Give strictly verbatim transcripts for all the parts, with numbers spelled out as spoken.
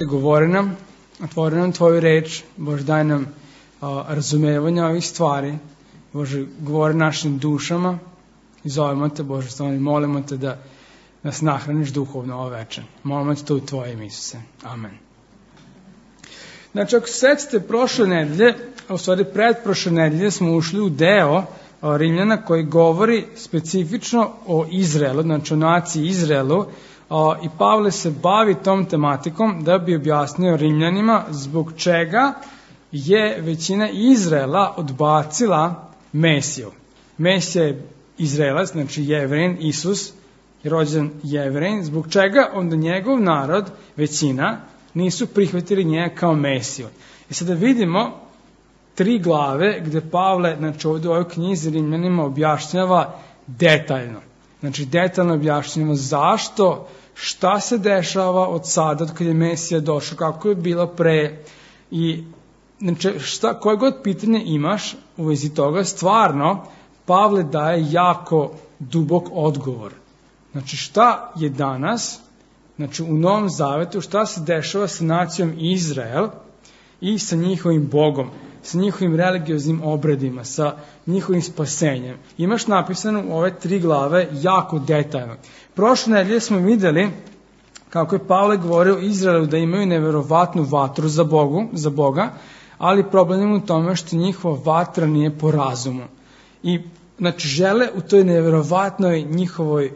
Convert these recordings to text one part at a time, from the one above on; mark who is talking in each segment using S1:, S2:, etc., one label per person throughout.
S1: Govori nam, otvori nam Tvoju reč, Bože, daj nam a, razumevanja ovih stvari, Bože, govori našim dušama i zovemo Te, Bože, stvarno molimo Te da nas nahraniš duhovno ovo večer. Molimo Te to u Tvoje ime, Isuse. Amen. Znači, ako se sećate prošle nedelje, a u stvari pretprošle nedelje smo ušli u deo a, Rimljana koji govori specifično o Izraelu, znači o naciji Izraelu, Uh, i Pavle se bavi tom tematikom da bi objasnio Rimljanima zbog čega je većina Izraela odbacila Mesiju. Mesija je Izraelac, znači Jevrein, Isus je rođen Jevrein, zbog čega onda njegov narod, većina, nisu prihvatili njega kao Mesiju. I sada vidimo tri glave gde Pavle, znači ovdje u ovoj knjizi Rimljanima objašnjava detaljno. Znači, detaljno objašnjamo zašto, šta se dešava od sada, od kada je Mesija došao, kako je bilo pre. I, znači, šta, koje god pitanje imaš u vezi toga, stvarno, Pavle daje jako dubok odgovor. Znači, šta je danas, znači, u Novom Zavetu, šta se dešava sa nacijom Izrael i sa njihovim Bogom, sa njihovim religioznim obredima, sa njihovim spasenjem. Imaš napisano u ove tri glave jako detaljno. Prošle nedelje smo videli kako je Pavle govorio Izraelu da imaju neverovatnu vatru za, Bogu, za Boga, ali problem je u tome što njihova vatra nije po razumu. I znači žele u toj neverovatnoj njihovoj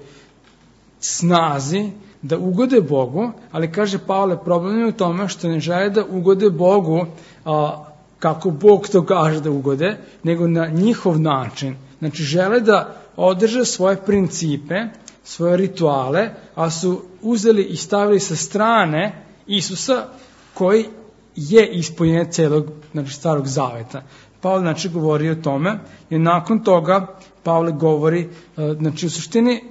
S1: snazi da ugode Bogu, ali kaže Pavle, problem je u tome što ne žele da ugode Bogu a, kako Bog to kaže da ugode, nego na njihov način. Znači, žele da održe svoje principe, svoje rituale, a su uzeli i stavili sa strane Isusa koji je ispunjenje celog, znači, starog zaveta. Pavle, znači, govori o tome i nakon toga Pavle govori, znači, u suštini,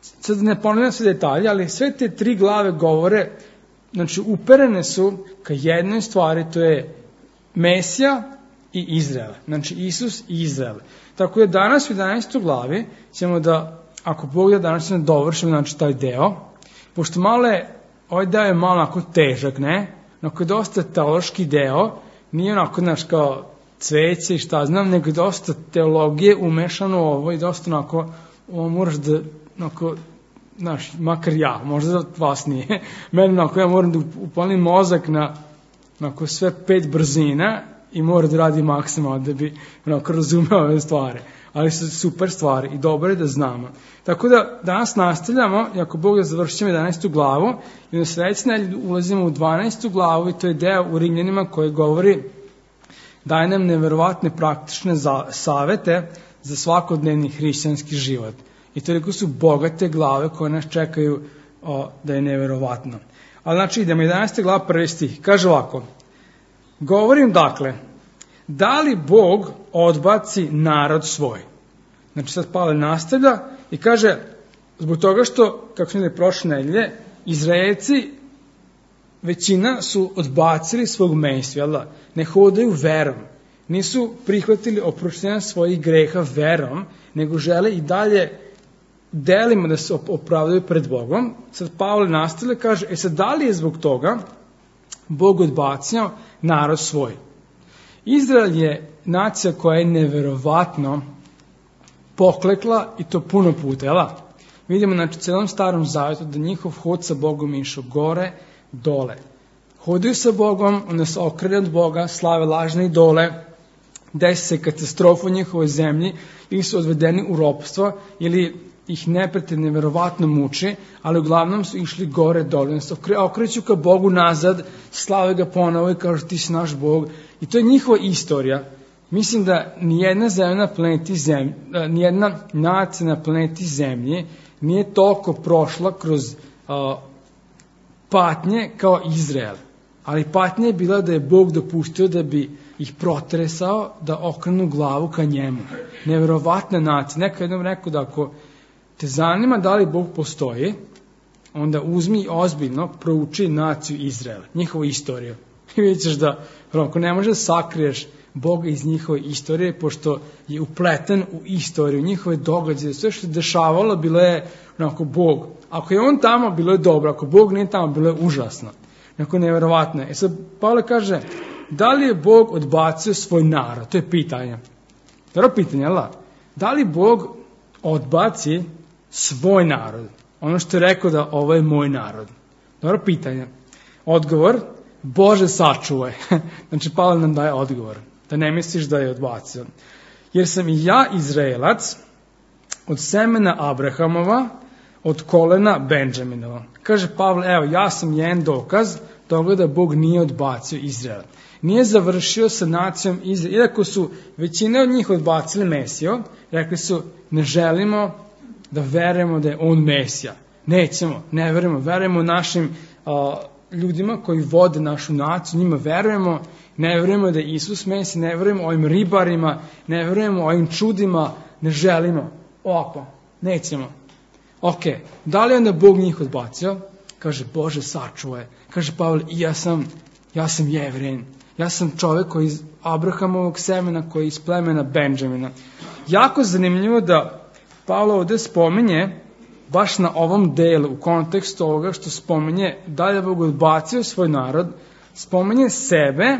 S1: sad ne ponavljam sve detalje, ali sve te tri glave govore, znači, uperene su ka jednoj stvari, to je Mesija i Izrael. Znači, Isus i Izrael. Tako je danas u jedanaestoj glavi ćemo da, ako Bog da danas ćemo dovršimo, znači, taj deo. Pošto malo je, ovaj deo je malo onako težak, ne? Onako je dosta teološki deo, nije onako, znaš, kao cveće i šta znam, nego je dosta teologije umešano u ovo i dosta onako, ovo moraš da, onako, znaš, makar ja, možda da vas nije. Meni onako, ja moram da upalim mozak na onako sve pet brzina i mora da radi maksimalno da bi onako razumeo ove stvari. Ali su super stvari i dobro je da znamo. Tako da danas nastavljamo, i ako Bog da završimo jedanaestu glavu, i na sledeće nedelje ulazimo u dvanaestu glavu i to je deo u Rimljanima koji govori, daje nam neverovatne praktične za, savete za svakodnevni hrišćanski život. I toliko su bogate glave koje nas čekaju o, da je neverovatno. Ali znači idemo, jedanaesta glava, prvi stih. Kaže ovako, govorim dakle, da li Bog odbaci narod svoj? Znači sad Pavle nastavlja i kaže, zbog toga što, kako smo videli prošle nedelje, Izraelci, većina su odbacili svog Mesiju, jel da? Ne hodaju verom, nisu prihvatili oproštenja svojih greha verom, nego žele i dalje delimo da se opravdaju pred Bogom. Sad Pavle nastavlja, kaže, e sad da li je zbog toga Bog odbacio narod svoj? Izrael je nacija koja je neverovatno poklekla i to puno puta, jel? Vidimo, znači, celom starom zavetu da njihov hod sa Bogom je išao gore, dole. Hodaju sa Bogom, onda se okrene od Boga, slave lažne idole, desi se katastrofa u njihovoj zemlji, ili su odvedeni u ropstvo, ili ih neprijatelj neverovatno muči, ali uglavnom su išli gore, dole, se okreću ka Bogu nazad, slave ga ponovo i kažu ti si naš Bog. I to je njihova istorija. Mislim da nijedna zemlja na planeti Zemlji, nijedna nacija na planeti Zemlji nije toliko prošla kroz uh, patnje kao Izrael. Ali patnja je bila da je Bog dopustio da bi ih protresao, da okrenu glavu ka njemu. Neverovatna nacija. Neko jednom rekao da ako te zanima da li Bog postoji, onda uzmi ozbiljno prouči naciju Izraela, njihovu istoriju. I vidjet ćeš da, ako ne možeš da sakriješ Boga iz njihove istorije, pošto je upleten u istoriju, njihove događaje, sve što je dešavalo, bilo je onako Bog. Ako je on tamo, bilo je dobro, ako Bog nije tamo, bilo je užasno. Neko nevjerovatno. E sad, Pavle kaže, da li je Bog odbacio svoj narod? To je pitanje. Dobro pitanje, jel da? Da li Bog odbaci svoj narod? Ono što je rekao da ovo je moj narod. Dobro pitanje. Odgovor, Bože sačuvaj. Znači, Pavle nam daje odgovor. Da ne misliš da je odbacio. Jer sam i ja Izraelac od semena Abrahamova, od kolena Benjaminova. Kaže Pavle, evo, ja sam jedan dokaz toga da Bog nije odbacio Izraela. Nije završio sa nacijom Izraela. Iako su većina od njih odbacili Mesiju, rekli su, ne želimo da verujemo da je on Mesija. Nećemo, ne verujemo. Verujemo našim a, ljudima koji vode našu naciju, njima verujemo, ne verujemo da je Isus Mesija, ne verujemo ovim ribarima, ne verujemo ovim čudima, ne želimo. Ovako, nećemo. Ok, da li onda Bog njih odbacio? Kaže, Bože sačuvaj. Kaže Pavle, i ja sam, ja sam Jevrin. Ja sam čovjek koji iz Abrahamovog semena, koji je iz plemena Benjamina. Jako zanimljivo da Pavle ovdje spominje, baš na ovom delu, u kontekstu ovoga što spominje da je Bog odbacio svoj narod, spominje sebe,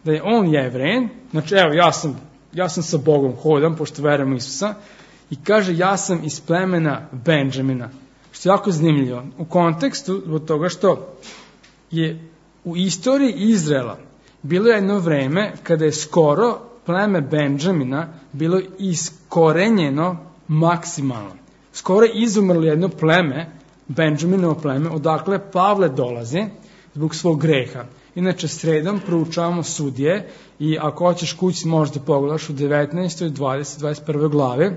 S1: da je on Jevrin. Znači, evo, ja sam, ja sam sa Bogom hodam, pošto verujem u Isusa, i kaže, ja sam iz plemena Benjamina. Što je jako zanimljivo. U kontekstu, zbog toga što je u istoriji Izraela bilo jedno vreme kada je skoro pleme Benjamina bilo iskorenjeno maksimalno. Skoro je izumrlo jedno pleme, Benjaminovo pleme, odakle Pavle dolazi zbog svog greha. Inače, sredom proučavamo Sudije i ako hoćeš kući možda pogledaš u devetnaestoj, dvadesetoj, dvadeset prvoj glavi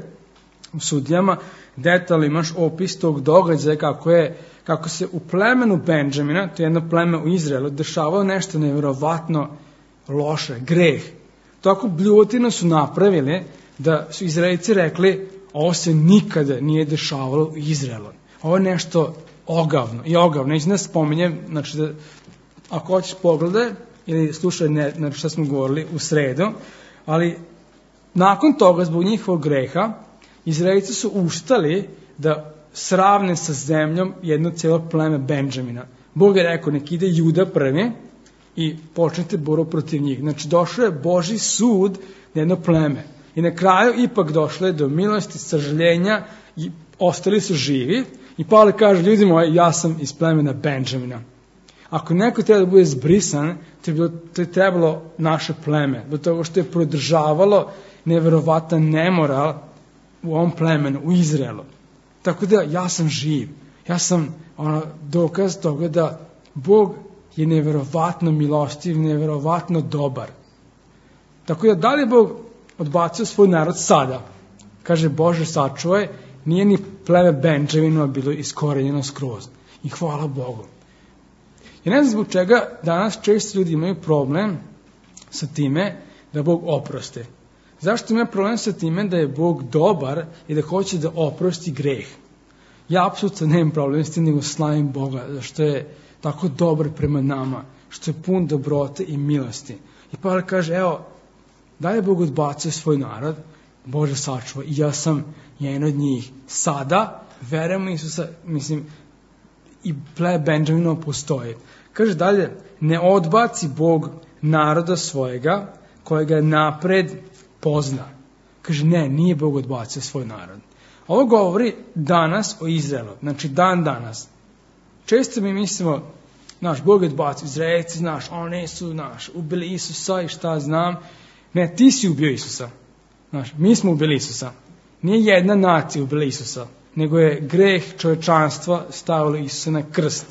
S1: u Sudijama, detaljno imaš opis tog događaja kako, je, kako se u plemenu Benjamina, to je jedno pleme u Izraelu, dešavalo nešto nevjerovatno loše, greh. Tako bljuvotino su napravili da su Izraelci rekli, ovo se nikada nije dešavalo u Izraelu. Ovo je nešto ogavno i ogavno. Neću da spominjem, znači da ako hoćeš pogledaj ili slušaj ne, znači što smo govorili u sredu, ali nakon toga, zbog njihovog greha, Izraelci su ustali da sravne sa zemljom jedno cijelo pleme Benjamina. Bog je rekao, nek ide Juda prvi i počnete boru protiv njih. Znači, došao je Božji sud na jedno pleme. I na kraju ipak došlo je do milosti, sažaljenja i ostali su živi. I Pavle kaže, ljudi moji, ja sam iz plemena Benjamina. Ako neko treba da bude zbrisan, to je, bilo, to je trebalo naše pleme. Do toga što je prodržavalo neverovatan nemoral u ovom plemenu, u Izraelu. Tako da ja sam živ. Ja sam ono, dokaz toga da Bog je neverovatno milostiv, neverovatno dobar. Tako da da li je Bog odbacio svoj narod sada? Kaže, Bože sačuvaj, nije ni pleme Benjamina bilo iskorenjeno skroz. I hvala Bogu. Ja ne znam zbog čega danas često ljudi imaju problem sa time da Bog oprosti. Zašto ima problem sa time da je Bog dobar i da hoće da oprosti greh? Ja apsolutno nemam problem s tim, nego slavim Boga, zašto je tako dobar prema nama, što je pun dobrote i milosti. I Pavle kaže, evo, da je Bog odbacio svoj narod, Bože sačuvaj, i ja sam jedan od njih. Sada, verujem u Isusa, mislim, i ple Benjamino postoji. Kaže dalje, ne odbaci Bog naroda svojega, kojega je napred pozna. Kaže, ne, nije Bog odbacio svoj narod. Ovo govori danas o Izraelu, znači dan danas. Često mi mislimo, naš Bog je odbacio Izraelci, znaš, oni su, naš, ubili Isusa i šta znam. Ne, ti si ubio Isusa. Znaš, mi smo ubili Isusa. Nije jedna nacija ubila Isusa, nego je greh čovečanstva stavilo Isusa na krst,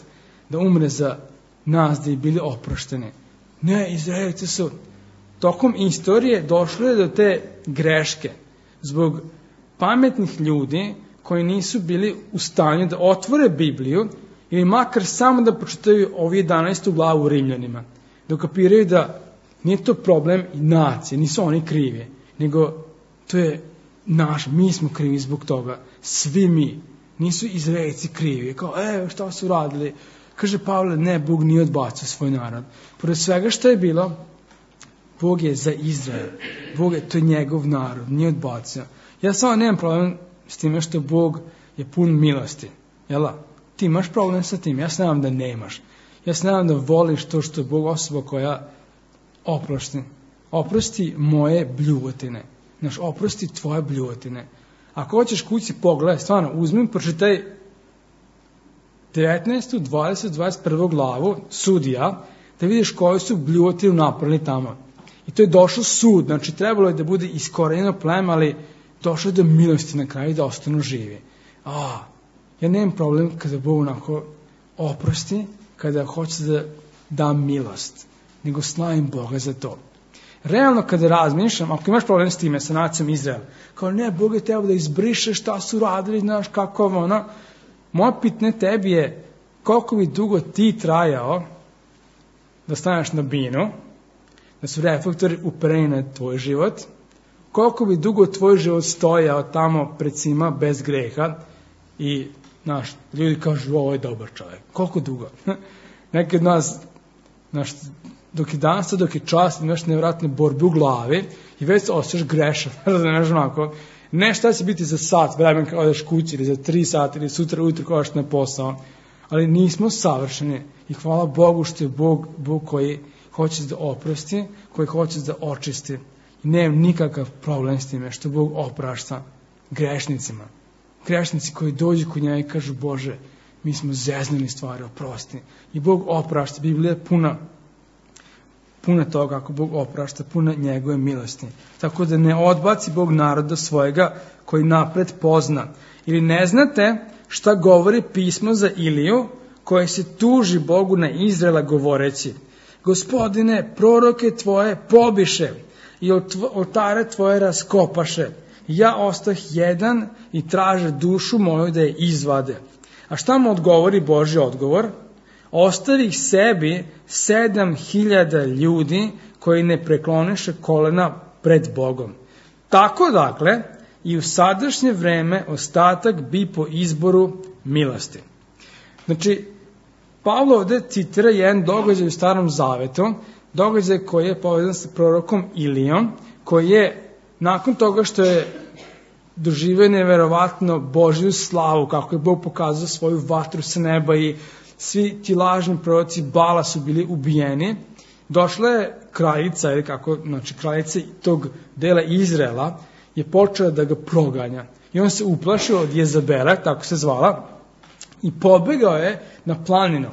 S1: da umre za nas, da je bili oprošteni. Ne, Izraelci su tokom istorije došli do te greške zbog pametnih ljudi koji nisu bili u stanju da otvore Bibliju ili makar samo da pročitaju ovu jedanaestu glavu u Rimljanima. Da kapiraju da nije to problem nacije, nisu oni krivi, nego to je naš, mi smo krivi zbog toga, svi mi. Nisu Izraelci krivi, kao, evo šta su radili. Kaže Pavle, ne, Bog nije odbacio svoj narod. Pored svega što je bilo, Bog je za Izrael. Bog je, to je njegov narod, nije odbacio. Ja samo nemam problem s time što Bog je pun milosti. Jel? Ti imaš problem sa tim, ja znam da nemaš. Ja se nadam da voliš to što je Bog osoba koja oprosti. Oprosti moje bljuvotine. Znaš, oprosti tvoje bljuvotine. Ako hoćeš kući pogledaj, stvarno, uzmi, pročitaj devetnaestu, dvadesetu, dvadeset prvu glavu Sudija, da vidiš koju su bljuvotinu napravili tamo. I to je došao sud, znači trebalo je da bude iskorenjeno pleme, ali došlo je do milosti na kraju da ostanu živi. A, ja nemam problem kada Bog onako oprosti, kada hoće da da milost, nego slavim Boga za to. Realno kada razmišljam, ako imaš problem s time, sa nacijom Izrael, kao ne, Bog je teo da izbriše šta su radili, znaš kako ono, moje pitanje tebi je koliko bi dugo ti trajao da staneš na binu, da su reflektori upereni na tvoj život, koliko bi dugo tvoj život stojao tamo pred svima bez greha i, znaš, ljudi kažu, ovo je dobar čovjek. Koliko dugo? Neki od nas, znaš, dok je danas, dok je čast, imaš nevjerojatne borbe u glavi i već se osjećaš grešan, znaš, onako, ne šta će biti za sat vremen kada odeš kući ili za tri sata ili sutra ujutro kada odeš na posao, ali nismo savršeni i hvala Bogu što je Bog, Bog koji hoće da oprosti, koji hoće da očisti. I nemam nikakav problem s time što Bog oprašta grešnicima. Grešnici koji dođu kod njega i kažu, Bože, mi smo zeznuli stvari, oprosti. I Bog oprašta. Biblija je puna, puna toga kako Bog oprašta, puna njegove milosti. Tako da ne odbaci Bog naroda svojega koji napred pozna. Ili ne znate šta govori pismo za Iliju koje se tuži Bogu na Izraela govoreći, Gospodine, proroke tvoje pobiše i oltare tvoje raskopaše. Ja ostah jedan i traže dušu moju da je izvade. A šta mu odgovori Božji odgovor? Ostavi ih sebi sedam hiljada ljudi koji ne prekloniše kolena pred Bogom. Tako dakle, i u sadašnje vreme ostatak bi po izboru milosti. Znači, Pavlo ovde citira jedan događaj u Starom Zavetu, događaj koji je povezan sa prorokom Ilijom, koji je nakon toga što je doživio neverovatno Božju slavu, kako je Bog pokazao svoju vatru sa neba i svi ti lažni proroci Bala su bili ubijeni, došla je kraljica, ili kako, znači kraljica tog dela Izraela, je počela da ga proganja. I on se uplašio od Jezabela, tako se zvala, i pobegao je na planinu.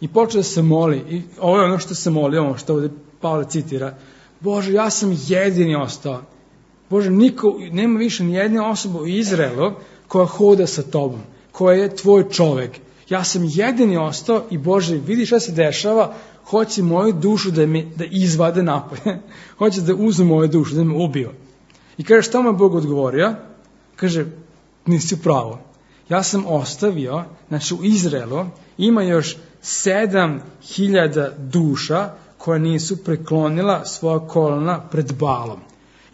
S1: I počeo da se moli. I ovo je ono što se moli, ono što ovdje Pavle citira. Bože, ja sam jedini ostao. Bože, niko, nema više ni jedne osobe u Izraelu koja hoda sa tobom, koja je tvoj čovek. Ja sam jedini ostao i Bože, vidi šta se dešava, hoće moju dušu da, me, da izvade napolje. Hoće da uzme moju dušu, da me ubio. I kaže, šta mu je Bog odgovorio? Kaže, nisi u pravu. Ja sam ostavio, znači u Izraelu ima još sedam hiljada duša koja nisu preklonila svoja kolena pred Balom.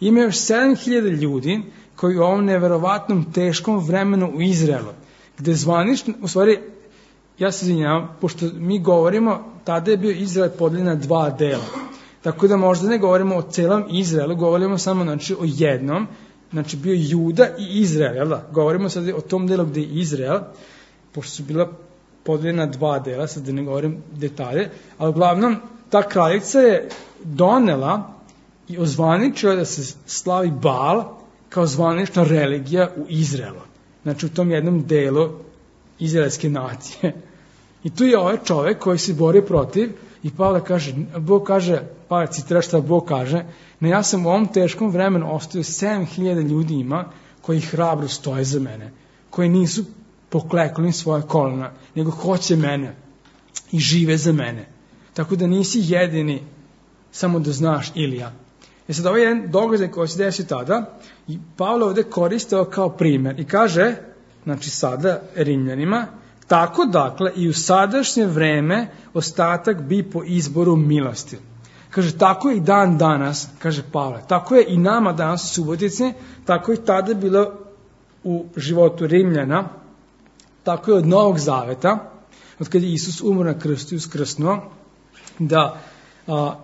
S1: Ima još sedam hiljada ljudi koji u ovom neverovatnom teškom vremenu u Izraelu, gde zvanično, u stvari, ja se izvinjavam, pošto mi govorimo, tada je bio Izrael podeljen na dva dela. Tako da možda ne govorimo o celom Izraelu, govorimo samo znači, o jednom, znači bio Juda i Izrael, jel da? Govorimo sad o tom delu gde je Izrael, pošto su bila podeljena dva dela, sad da ne govorim detalje, ali uglavnom ta kraljica je donela i ozvaničila da se slavi Baal kao zvanična religija u Izraelu. Znači u tom jednom delu izraelske nacije. I tu je ovaj čovek koji se bori protiv i Pavle kaže, Bog kaže, Pavle citira šta Bog kaže, ne, ja sam u ovom teškom vremenu ostavio sedam hiljada ljudi ima koji hrabro stoje za mene, koji nisu poklekli svoje kolena, nego hoće mene i žive za mene. Tako da nisi jedini, samo da znaš, Ilija. E sad, ovo je jedan događaj koji se desi tada i Pavle ovde koristio kao primer i kaže, znači sada Rimljanima, tako dakle i u sadašnje vreme ostatak bi po izboru milosti. Kaže, tako je i dan danas, kaže Pavle, tako je i nama danas u Subotici, tako je tada bilo u životu Rimljana, tako je od Novog Zaveta, od kada je Isus umro na krstu i uskrsnuo, da a,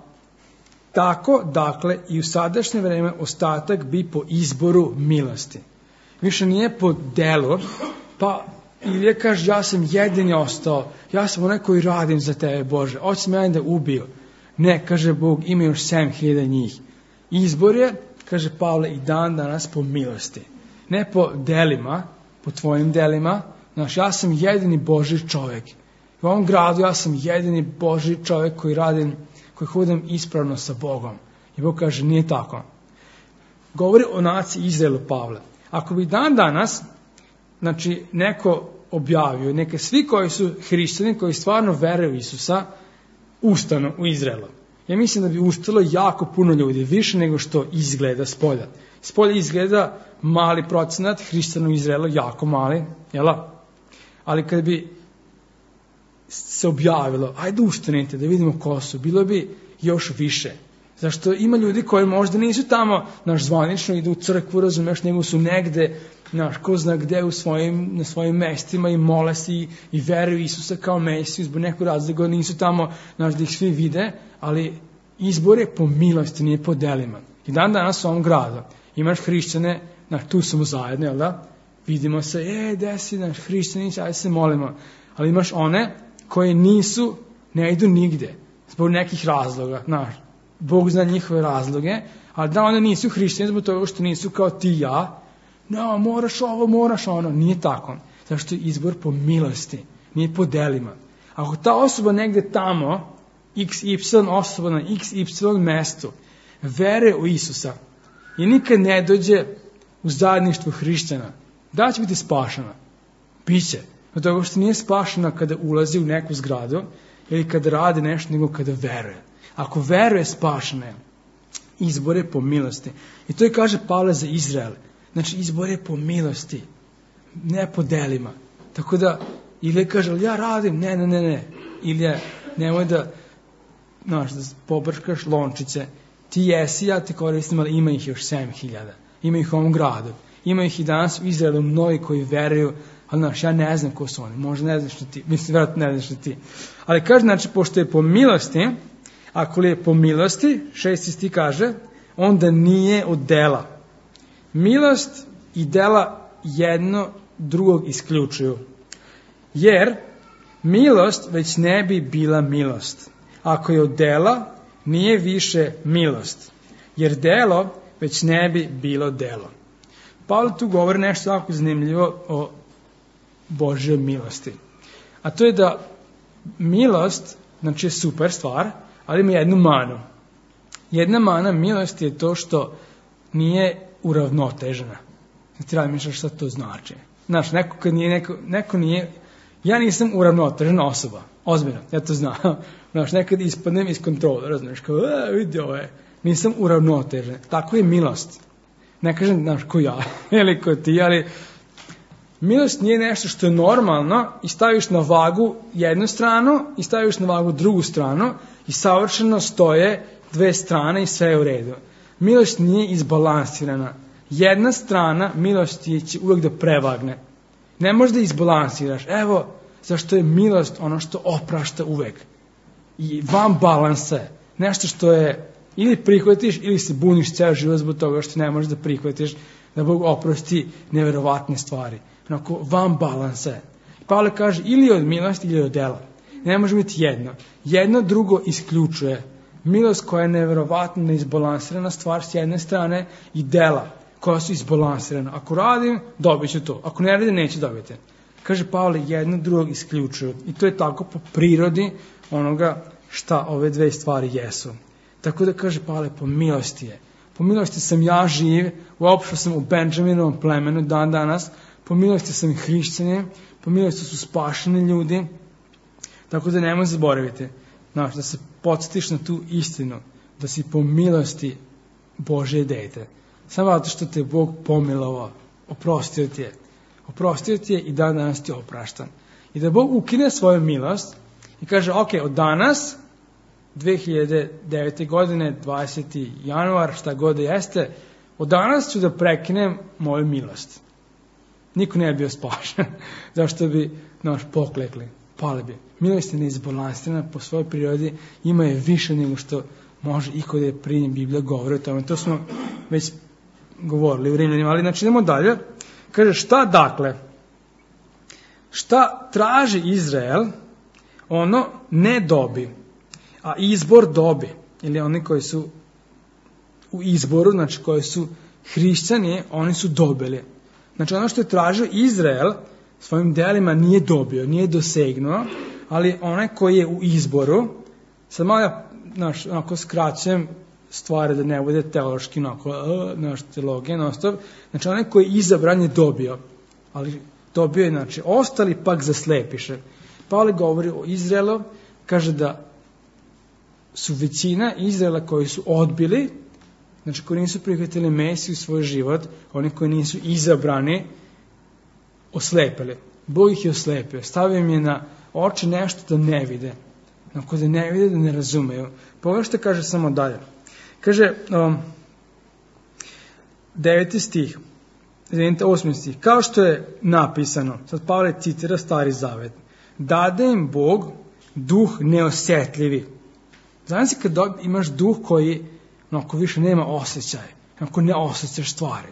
S1: tako, dakle, i u sadašnje vreme ostatak bi po izboru milosti. Više nije po delu, pa Ilija kaže, ja sam jedini ostao, ja sam onaj koji radim za tebe, Bože, hoće me da ubio. Ne, kaže Bog, ima još sedam hiljada njih. Izbor je, kaže Pavle, i dan danas po milosti. Ne po delima, po tvojim delima. Znaš, ja sam jedini Božji čovjek. U ovom gradu ja sam jedini Božji čovjek koji radim, koji hodim ispravno sa Bogom. I Bog kaže, nije tako. Govori o naciji Izraelu Pavle. Ako bi dan danas, znači, neko objavio, neke svi koji su hrišćani, koji stvarno veruju u Isusa, ustanu u Izraelu. Ja mislim da bi ustalo jako puno ljudi, više nego što izgleda spolja. Spolja izgleda mali procenat, hrišćana u Izraelu jako mali, jel? Ali kad bi se objavilo, ajde ustanite da vidimo ko su, bilo bi još više. Zašto ima ljudi koji možda nisu tamo, naš zvanično idu u crkvu, razumeš, nego su negde, naš, ko zna gde u svojim, na svojim mestima i mole se i, i veruju Isusa kao Mesiju, zbog nekog razloga nisu tamo, naš, da ih svi vide, ali izbor je po milosti, nije po delima. I dan danas u ovom gradu imaš hrišćane, naš, tu smo zajedno, jel da? Vidimo se, e, gde si, naš, hrišćani, ajde se molimo. Ali imaš one koji nisu, ne idu nigde, zbog nekih razloga, znaš. Bog zna njihove razloge, ali da one nisu hrišćani zbog toga što nisu kao ti i ja, no, moraš ovo, moraš ono, nije tako. Zašto je izbor po milosti, nije po delima. Ako ta osoba negde tamo, iks ipsilon osoba na iks ipsilon mestu, vere u Isusa i nikad ne dođe u zajedništvo hrišćana, da će biti spašena? Biće. Od toga što nije spašena kada ulazi u neku zgradu ili kada radi nešto, nego kada veruje. Ako veruje, spašena je. Izbor je po milosti. I to je kaže Pavle za Izrael. Znači, izbor je po milosti, ne po delima. Tako da, ili kaže, ali ja radim, ne, ne, ne, ne. Ili je, nemoj da, znaš, da pobrškaš lončice. Ti jesi, ja te koristim, ali ima ih još sedam hiljada. Ima ih u ovom gradu. Ima ih i danas u Izraelu mnogi koji veruju, ali znaš, ja ne znam ko su oni. Možda ne znaš što ti, mislim, vjerojatno ne znaš što ti. Ali kaže, znači, pošto je po milosti, ako li je po milosti, šesti stih kaže, onda nije od dela. Milost i dela jedno drugog isključuju. Jer milost već ne bi bila milost. Ako je od dela, nije više milost. Jer delo već ne bi bilo delo. Pavle tu govori nešto jako zanimljivo o Božjoj milosti. A to je da milost, znači je super stvar, ali ima jednu manu. Jedna mana milosti je to što nije uravnotežena. Ti razmišljaš šta to znači. Znaš, neko kad nije, neko, neko nije, ja nisam uravnotežena osoba, ozbiljno, ja to znam. Znaš, nekad ispadnem iz kontrola, razumiješ, kao, e, vidi ovo je, nisam uravnotežen. Tako je milost. Ne kažem, znaš, ko ja, ili ko ti, ali milost nije nešto što je normalno i staviš na vagu jednu stranu i staviš na vagu drugu stranu i savršeno stoje dve strane i sve je u redu. Milost nije izbalansirana. Jedna strana milosti će uvijek da prevagne. Ne možeš da izbalansiraš. Evo, zašto je milost ono što oprašta uvijek. I van balansa je. Nešto što je ili prihvatiš ili se buniš ceo život zbog toga što ne možeš da prihvatiš da Bog oprosti neverovatne stvari. Onako, van balansa je. Pavle kaže ili od milosti ili od dela. Ne može biti jedno. Jedno drugo isključuje. Milost koja je neverovatno neizbalansirana stvar s jedne strane i dela koja su izbalansirana. Ako radim, dobit ću to. Ako ne radim, neću dobiti. Kaže Pavle, jedno drugog isključuju. I to je tako po prirodi onoga šta ove dve stvari jesu. Tako da kaže Pavle, po milosti je. Po milosti sam ja živ, uopšte sam u Benjaminovom plemenu dan danas, po milosti sam i hrišćani, po milosti su spašeni ljudi, tako da nemoj zaboraviti, znaš, da se podsjetiš na tu istinu, da si po milosti Božje dete. Samo zato što te Bog pomilovao, oprostio ti je. Oprostio ti je i dan danas ti je opraštan. I da Bog ukine svoju milost i kaže, ok, od danas, dve hiljade devete. godine, dvadesetog januara, šta god da jeste, od danas ću da prekinem moju milost. Niko ne bi bio spašen. Zašto bi, znaš, poklekli, pali bi. Milost je neizbalansirana po svojoj prirodi, ima je više nego što može iko da je primjen. Biblija govori o tome. To smo već govorili u Rimljanima, ali znači idemo dalje. Kaže, šta dakle? šta traži Izrael, ono ne dobi, a izbor dobi. Ili oni koji su u izboru, znači koji su hrišćani, oni su dobili. Znači ono što je tražio Izrael svojim delima nije dobio, nije dosegnuo, ali onaj koji je u izboru, sad malo ja znaš, onako skraćujem stvari da ne bude teološki, onako, naš teologija, nostop, znači onaj koji je izabran je dobio, ali dobio je, znači, ostali pak zaslepiše. Pavle govori o Izraelu, kaže da su većina Izraela koji su odbili, znači koji nisu prihvatili Mesiju u svoj život, oni koji nisu izabrani, oslepili. Bog ih je oslepio, stavio im je na oči nešto da ne vide. Ako da ne vide, da ne razumeju. Pogledaj što kaže samo dalje. Kaže, um, deveti stih, izvinite, osmi stih, kao što je napisano, sad Pavle citira Stari Zavet, dade im Bog duh neosjetljivi. Znači kad imaš duh koji onako više nema osjećaje, onako ne osjećaš stvari,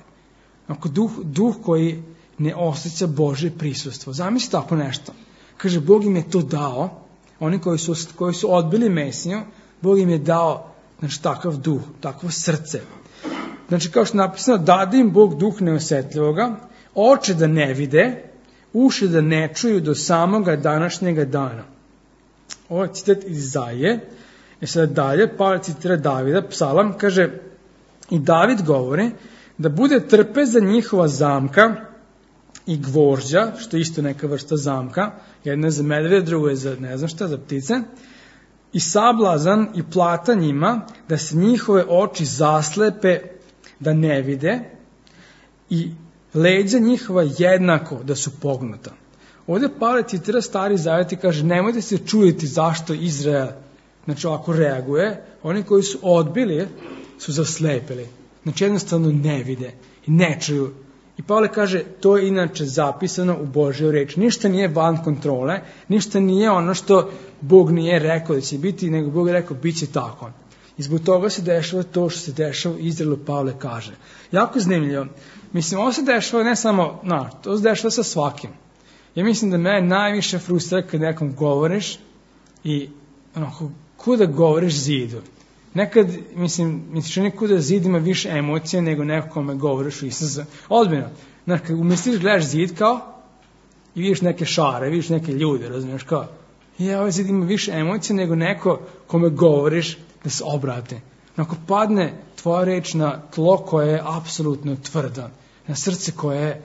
S1: onako duh, duh koji ne osjeća Božje prisustvo. Zamisli tako nešto. Kaže, Bog im je to dao, oni koji su, koji su odbili Mesiju, Bog im je dao, znači, takav duh, takvo srce. Znači, kao što je napisano, dade im Bog duh neosjetljivoga, oči da ne vide, uši da ne čuju do samoga današnjega dana. Ovo je citat iz Izaije. I sada dalje, Pavle citira Davida, psalam, kaže, i David govori da bude trpeza njihova zamka i gvožđa, što je isto neka vrsta zamka, jedna je za medvede, druga je za ne znam šta, za ptice, i sablazan i plata njima, da se njihove oči zaslepe, da ne vide, i leđa njihova jednako da su pognuta. Ovdje Pavle citira Stari Zavet i kaže, nemojte se čuditi zašto Izrael, znači ovako reaguje, oni koji su odbili su zaslepili, znači jednostavno ne vide i ne čuju. I Pavle kaže, to je inače zapisano u Božjoj reči. Ništa nije van kontrole, ništa nije ono što Bog nije rekao da će biti, nego Bog je rekao, bit će tako. I zbog toga se dešava to što se dešava u Izraelu, Pavle kaže. Jako zanimljivo. Mislim, ovo se dešava ne samo, no, to se dešava sa svakim. Ja mislim da me najviše frustrira kad nekom govoriš i onako, kuda govoriš zidu. Nekad, mislim, misliš nekuda zid ima više emocije nego neko kome govoriš u Isusa. Odmjeno. Znači, kad umisliš, gledaš zid kao i vidiš neke šare, vidiš neke ljude, razumiješ kao. I ovaj zid ima više emocije nego neko kome govoriš da se obrate. Ako padne tvoja reč na tlo koje je apsolutno tvrda, na srce koje je,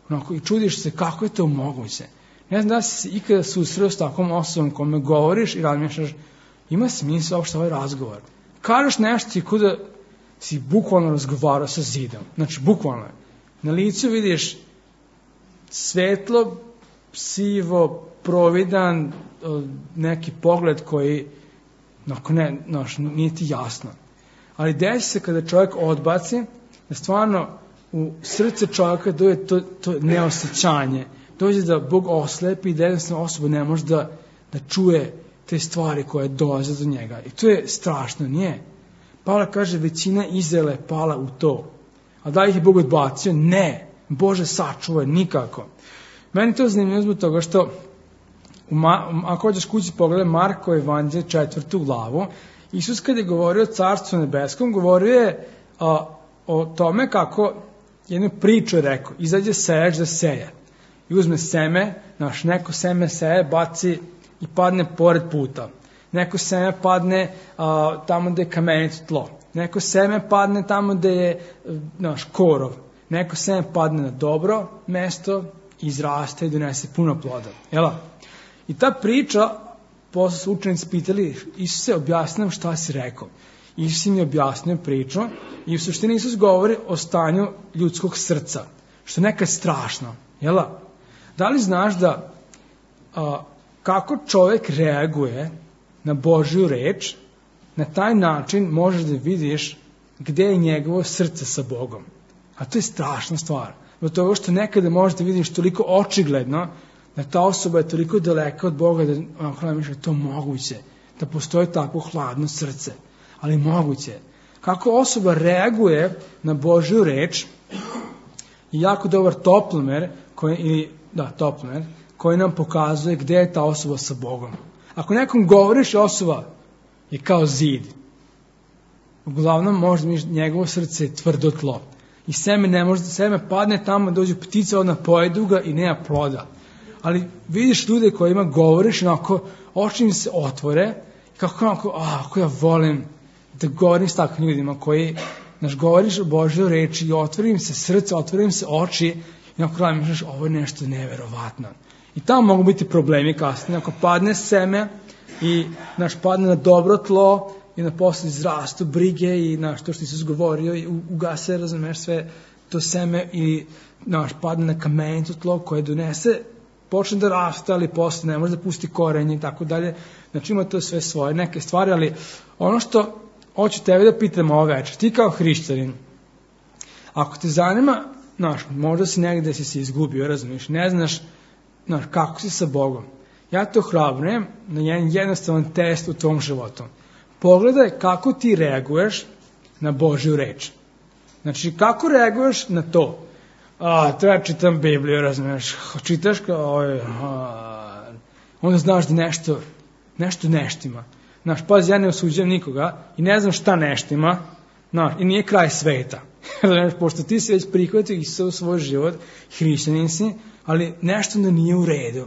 S1: onako, i čudiš se kako je to moguće. Ne znam da si se ikada susreo s takvom osobom kome govoriš i razmišljaš, ima smisla uopšte ovaj razgovor. Kažeš nešto i kuda si bukvalno razgovarao sa zidom. Znači, bukvalno. Na licu vidiš svetlo, sivo, providan, neki pogled koji no, ne, no, nije ti jasno. Ali desi se kada čovjek odbaci, da stvarno u srce čovjeka dođe to, to neosjećanje. Dođe da Bog oslepi i da jednostavno osoba ne može da, da čuje te stvari koje dolaze do njega. I to je strašno, nije? Pavle kaže, većina Izraela je pala u to. A da ih je Bog odbacio? Ne. Bože sačuvaj, nikako. Meni to zanimljivo zbog toga što, Ma, ako hoćeš kući pogledaj Marko evanđelje četvrtu glavu, Isus kad je govorio o Carstvu nebeskom, govorio je a, o tome kako jednu priču je rekao, izađe sejač da seje. I uzme seme, naš, neko seme seje, baci i padne pored puta. Neko seme padne a, tamo gde je kamenito tlo. Neko seme padne tamo gde je naš, korov. Neko seme padne na dobro mesto, izraste i donese puno ploda. Jel? I ta priča, posle su učenici pitali, Isuse, objasni nam šta si rekao. Isus im je objasnio priču i u suštini Isus govori o stanju ljudskog srca, što je nekad strašno. Jel? Da li znaš da a, kako čovjek reaguje na Božju reč, na taj način možeš da vidiš gde je njegovo srce sa Bogom. A to je strašna stvar. Zbog toga što nekada možeš da vidiš toliko očigledno da ta osoba je toliko daleka od Boga da onako misli da je to moguće, da postoji takvo hladno srce. Ali moguće. Kako osoba reaguje na Božju reč je jako dobar toplomer, koji, ili, da, toplomer, koji nam pokazuje gde je ta osoba sa Bogom. Ako nekom govoriš, osoba je kao zid. Uglavnom, možda mi njegovo srce je tvrdo tlo. I seme ne može, seme padne tamo, dođe ptica, ona pojedu ga i nema ploda. Ali vidiš ljude kojima govoriš, onako, oči im se otvore, i kako onako, a, ako ja volim da govorim s takvim ljudima koji, znaš, govoriš o Božjoj reči i otvori im se srce, otvori im se oči, i onako gledam, znaš, ovo je nešto neverovatno. I tamo mogu biti problemi kasnije, ako padne seme i, znaš, padne na dobro tlo, i na posle izrastu brige i na što što ti se zgovorio i ugase, razumeš, sve to seme i naš padne na kamenito tlo koje donese, počne da raste, ali posle ne može da pusti korenje i tako dalje. Znači ima to sve svoje neke stvari, ali ono što hoću tebe da pitam ovo večer, ti kao hrišćanin, ako te zanima, znaš, možda si negde si se izgubio, razumiješ, ne znaš, znaš, kako si sa Bogom. Ja to hrabrujem na jedan jednostavan test u tvom životu. Pogledaj kako ti reaguješ na Božju reč. Znači, kako reaguješ na to? A, treba čitam Bibliju, razumiješ, čitaš kao, a, onda znaš da nešto, nešto neštima. Znaš, pazi, ja ne osuđujem nikoga i ne znam šta neštima, znaš, i nije kraj sveta. Znaš, pošto ti si već prihvatio Isusa u svoj život, hrišćanin si, ali nešto da nije u redu.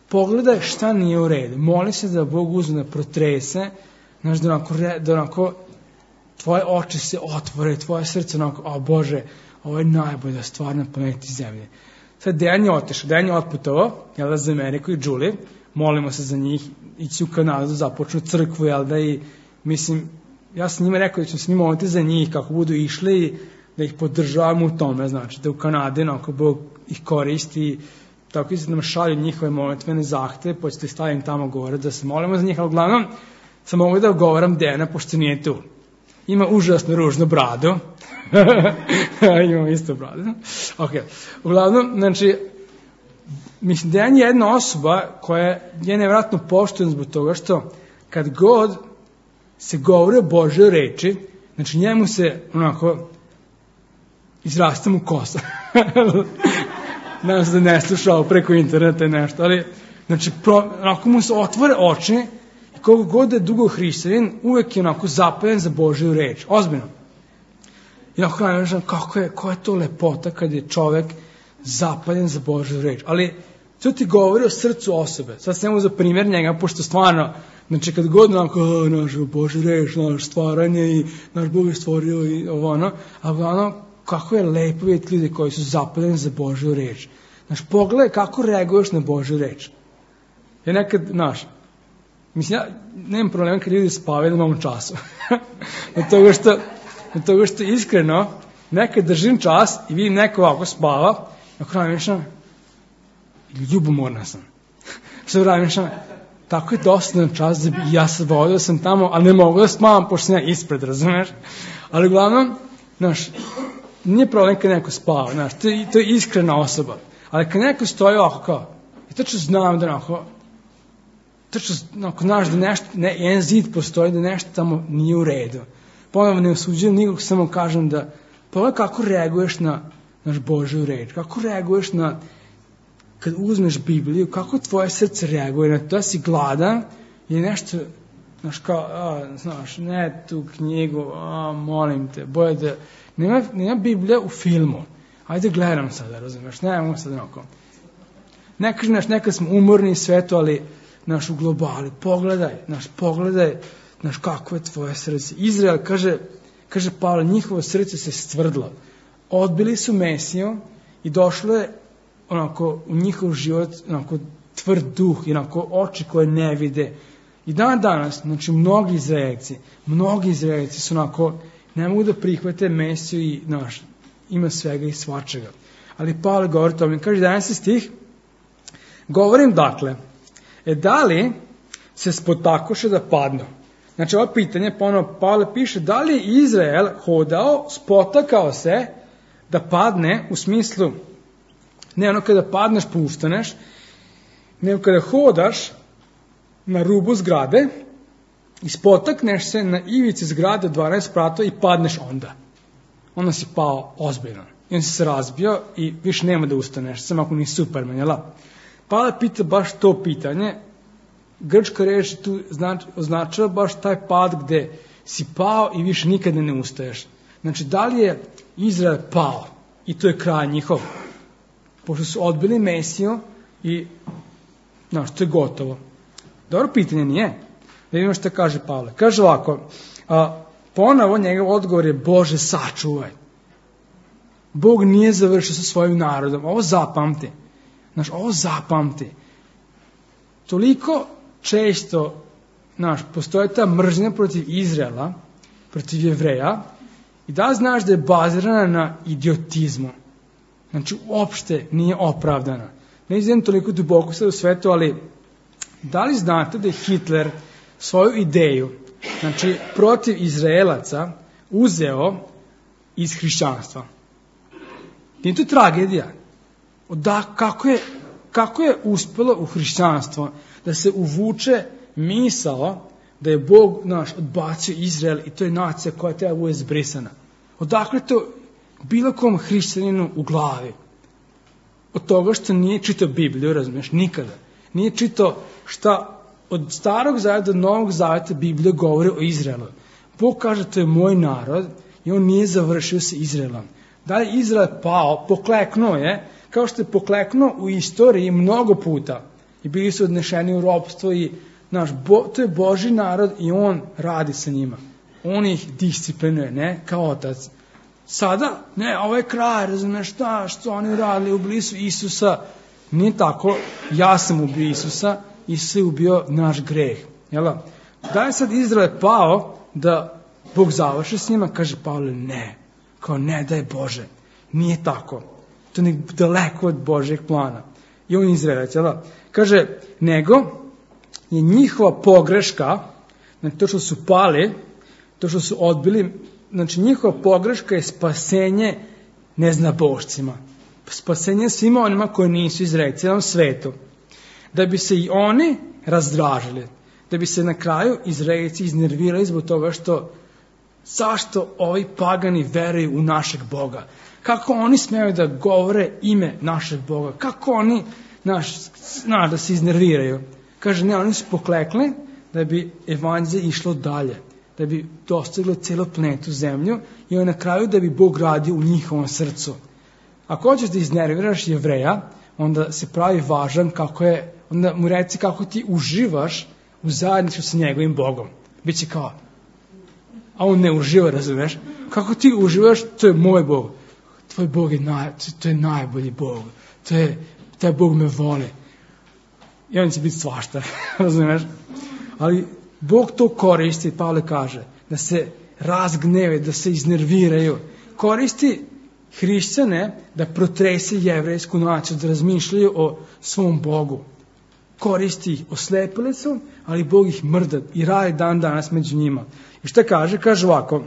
S1: Pogledaj šta nije u redu. Moli se da Bog uzme da protrese, znaš, da onako, da onako tvoje oči se otvore, tvoje srce onako, o Bože, ovo je najbolja stvar na planeti Zemlje. Sad Dejan je otišao, Dejan je otputovao, jel da, za Ameriku i Julie, molimo se za njih, ići u Kanadu, započnu crkvu, jel da, i mislim, ja sam njima rekao da ću se njima moliti za njih, kako budu išli i da ih podržavamo u tome, znači, da u Kanadi, onako, Bog ih koristi, tako i se nam šalju njihove molitvene zahteve, pa ćete stavim tamo gore da se molimo za njih, ali uglavnom, sam mogu da govoram Dejana, pošto nije tu. Ima užasno ružnu bradu. Imam isto bradu. Ok. Uglavnom, znači, mislim, Dejan je jedna osoba koja je nevjerojatno poštovan zbog toga što kad god se govori o Božoj reči, znači njemu se onako izraste mu kosa. Nadam se da ne slušao preko interneta i nešto, ali znači, pro, onako mu se otvore oči. Koliko god je dugo hrišćanin, uvek je onako zapaljen za Božju reč. Ozbiljno. I onako kažem, kako je, koja je to lepota kad je čovek zapaljen za Božju reč. Ali to ti govori o srcu osobe. Sad snemo za primjer njega, pošto stvarno, znači kad god onako, naš Božju reč, naš stvaranje i naš Bog je stvorio i ovo ono, a ono, kako je lepo vidjeti ljudi koji su zapaljeni za Božju reč. Znaš, pogledaj kako reaguješ na Božju reč. Ja nekad, znaš, mislim, ja nemam problema kad ljudi spavaju na mom času. Od toga što, od toga što iskreno, nekad držim čas i vidim neko ovako spava, i ako razmišljam, ljubomorna sam. Što razmišljam, tako je dosadan čas da bi ja se vodio sam tamo, ali ne mogu da spavam, pošto sam ja ispred, razumeš? Ali uglavnom, znaš, nije problem kad neko spava, znaš, to je, to je iskrena osoba. Ali kad neko stoji ovako kao, i tačno znam da onako, tačno, ako znaš da nešto, ne, jedan zid postoji, da nešto tamo nije u redu. Ponovno ne osuđujem nikog, samo kažem da, pogledaj kako reaguješ na naš Božju reč, kako reaguješ na, kad uzmeš Bibliju, kako tvoje srce reaguje na to, da si gladan i nešto, znaš kao, a, znaš, ne tu knjigu, a, molim te, boje da, nema, nema Biblija u filmu, ajde gledam sada, razumiješ, nemamo sad onako. Ne kažem, znaš, nekad smo umorni i sve to, ali naš u globali, pogledaj, naš pogledaj, naš kako je tvoje srce. Izrael, kaže, kaže Pavle, njihovo srce se stvrdlo. Odbili su Mesiju i došlo je onako u njihov život onako tvrd duh i onako oči koje ne vide. I dan danas, znači mnogi Izraelci, mnogi Izraelci su onako, ne mogu da prihvate Mesiju i naš, ima svega i svačega. Ali Pavle govori to, mi kaže jedanaesti stih, govorim dakle, e da li se spotakoše da padnu? Znači ovo pitanje, ponovno Pavle piše, da li je Izrael hodao, spotakao se da padne u smislu, ne ono kada padneš pa ustaneš, nego kada hodaš na rubu zgrade i spotakneš se na ivici zgrade dvanaest spratova i padneš onda. Onda si pao ozbiljno. I onda si se razbio i više nema da ustaneš, samo ako nisi Superman, jel? Pavle pita baš to pitanje. Grčka reč tu znači, označava baš taj pad gde si pao i više nikada ne ustaješ. Znači, da li je Izrael pao i to je kraj njihov? Pošto su odbili Mesiju i, znaš, to je gotovo. Dobro pitanje nije. Da vidimo što kaže Pavle. Kaže ovako, a, ponovo njegov odgovor je Bože sačuvaj. Bog nije završio sa svojim narodom. Ovo zapamti. Znaš, ovo zapamti. Toliko često, znaš, postoje ta mržnja protiv Izraela, protiv Jevreja, i da znaš da je bazirana na idiotizmu. Znači, uopšte nije opravdana. Ne izvijem toliko duboko sad u svetu, ali da li znate da je Hitler svoju ideju, znači, protiv Izraelaca, uzeo iz hrišćanstva? Nije to tragedija. Da, kako je, kako je uspelo u hrišćanstvo da se uvuče misao da je Bog naš odbacio Izrael i to je nacija koja treba bude zbrisana. Odakle to bilo kom hrišćaninu u glavi? Od toga što nije čitao Bibliju, razumiješ, nikada. Nije čitao šta od starog zaveta do novog zaveta Biblija govori o Izraelu. Bog kaže to je moj narod i on nije završio sa Izraelom. Da je Izrael pao, pokleknuo je, kao što je pokleknuo u istoriji mnogo puta. I bili su odnešeni u ropstvo i naš, bo, to je Božji narod i on radi sa njima. On ih disciplinuje, ne, kao otac. Sada, ne, ovo je kraj, razumiješ šta, što oni radili, ubili su Isusa. Nije tako, ja sam ubio Isusa, Isus je ubio naš greh. Jel? Da je sad Izrael pao da Bog završi s njima, kaže Pavle, ne. Kao ne, da je Bože. Nije tako. To je daleko od Božjeg plana. I on Izraelac, jel? Kaže, nego je njihova pogreška, znači to što su pali, to što su odbili, znači njihova pogreška je spasenje neznabošcima. Spasenje svima onima koji nisu Izraelci, cijelom svetu. Da bi se i oni razdražili. Da bi se na kraju Izraelci iznervirali zbog toga što zašto ovi pagani veruju u našeg Boga? Kako oni smeju da govore ime našeg Boga? Kako oni, naš, znaš, da se iznerviraju? Kaže, ne, oni su poklekli da bi evanđelje išlo dalje. Da bi dostiglo celu planetu zemlju i na kraju da bi Bog radio u njihovom srcu. Ako hoćeš da iznerviraš Jevreja, onda se pravi važan kako je, onda mu reci kako ti uživaš u zajedništvu sa njegovim Bogom. Biće kao, a on ne uživa, razumeš? Kako ti uživaš, to je moj Bog. Tvoj Bog je, naj, to je najbolji Bog. To je, taj Bog me voli. I on će biti svašta, razumeš? Ali Bog to koristi, Pavle kaže, da se razgneve, da se iznerviraju. Koristi hrišćane da protrese jevrejsku naciju, da razmišljaju o svom Bogu. Koristi ih, oslepili su, ali Bog ih mrda i radi dan danas među njima. I šta kaže? Kaže ovako,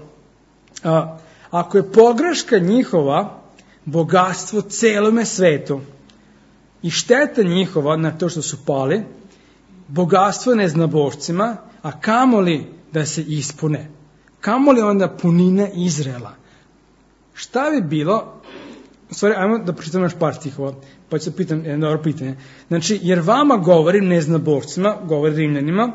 S1: a, ako je pogreška njihova bogatstvo celome svetu i šteta njihova na to što su pali, bogatstvo neznabošcima, a kamoli da se ispune, kamoli onda punine Izraela. Šta bi bilo, u stvari, ajmo da pročitam naš par stihova, pa ću se pitam jedno dobro pitanje. Znači, jer vama govorim neznabošcima, govorim Rimljanima,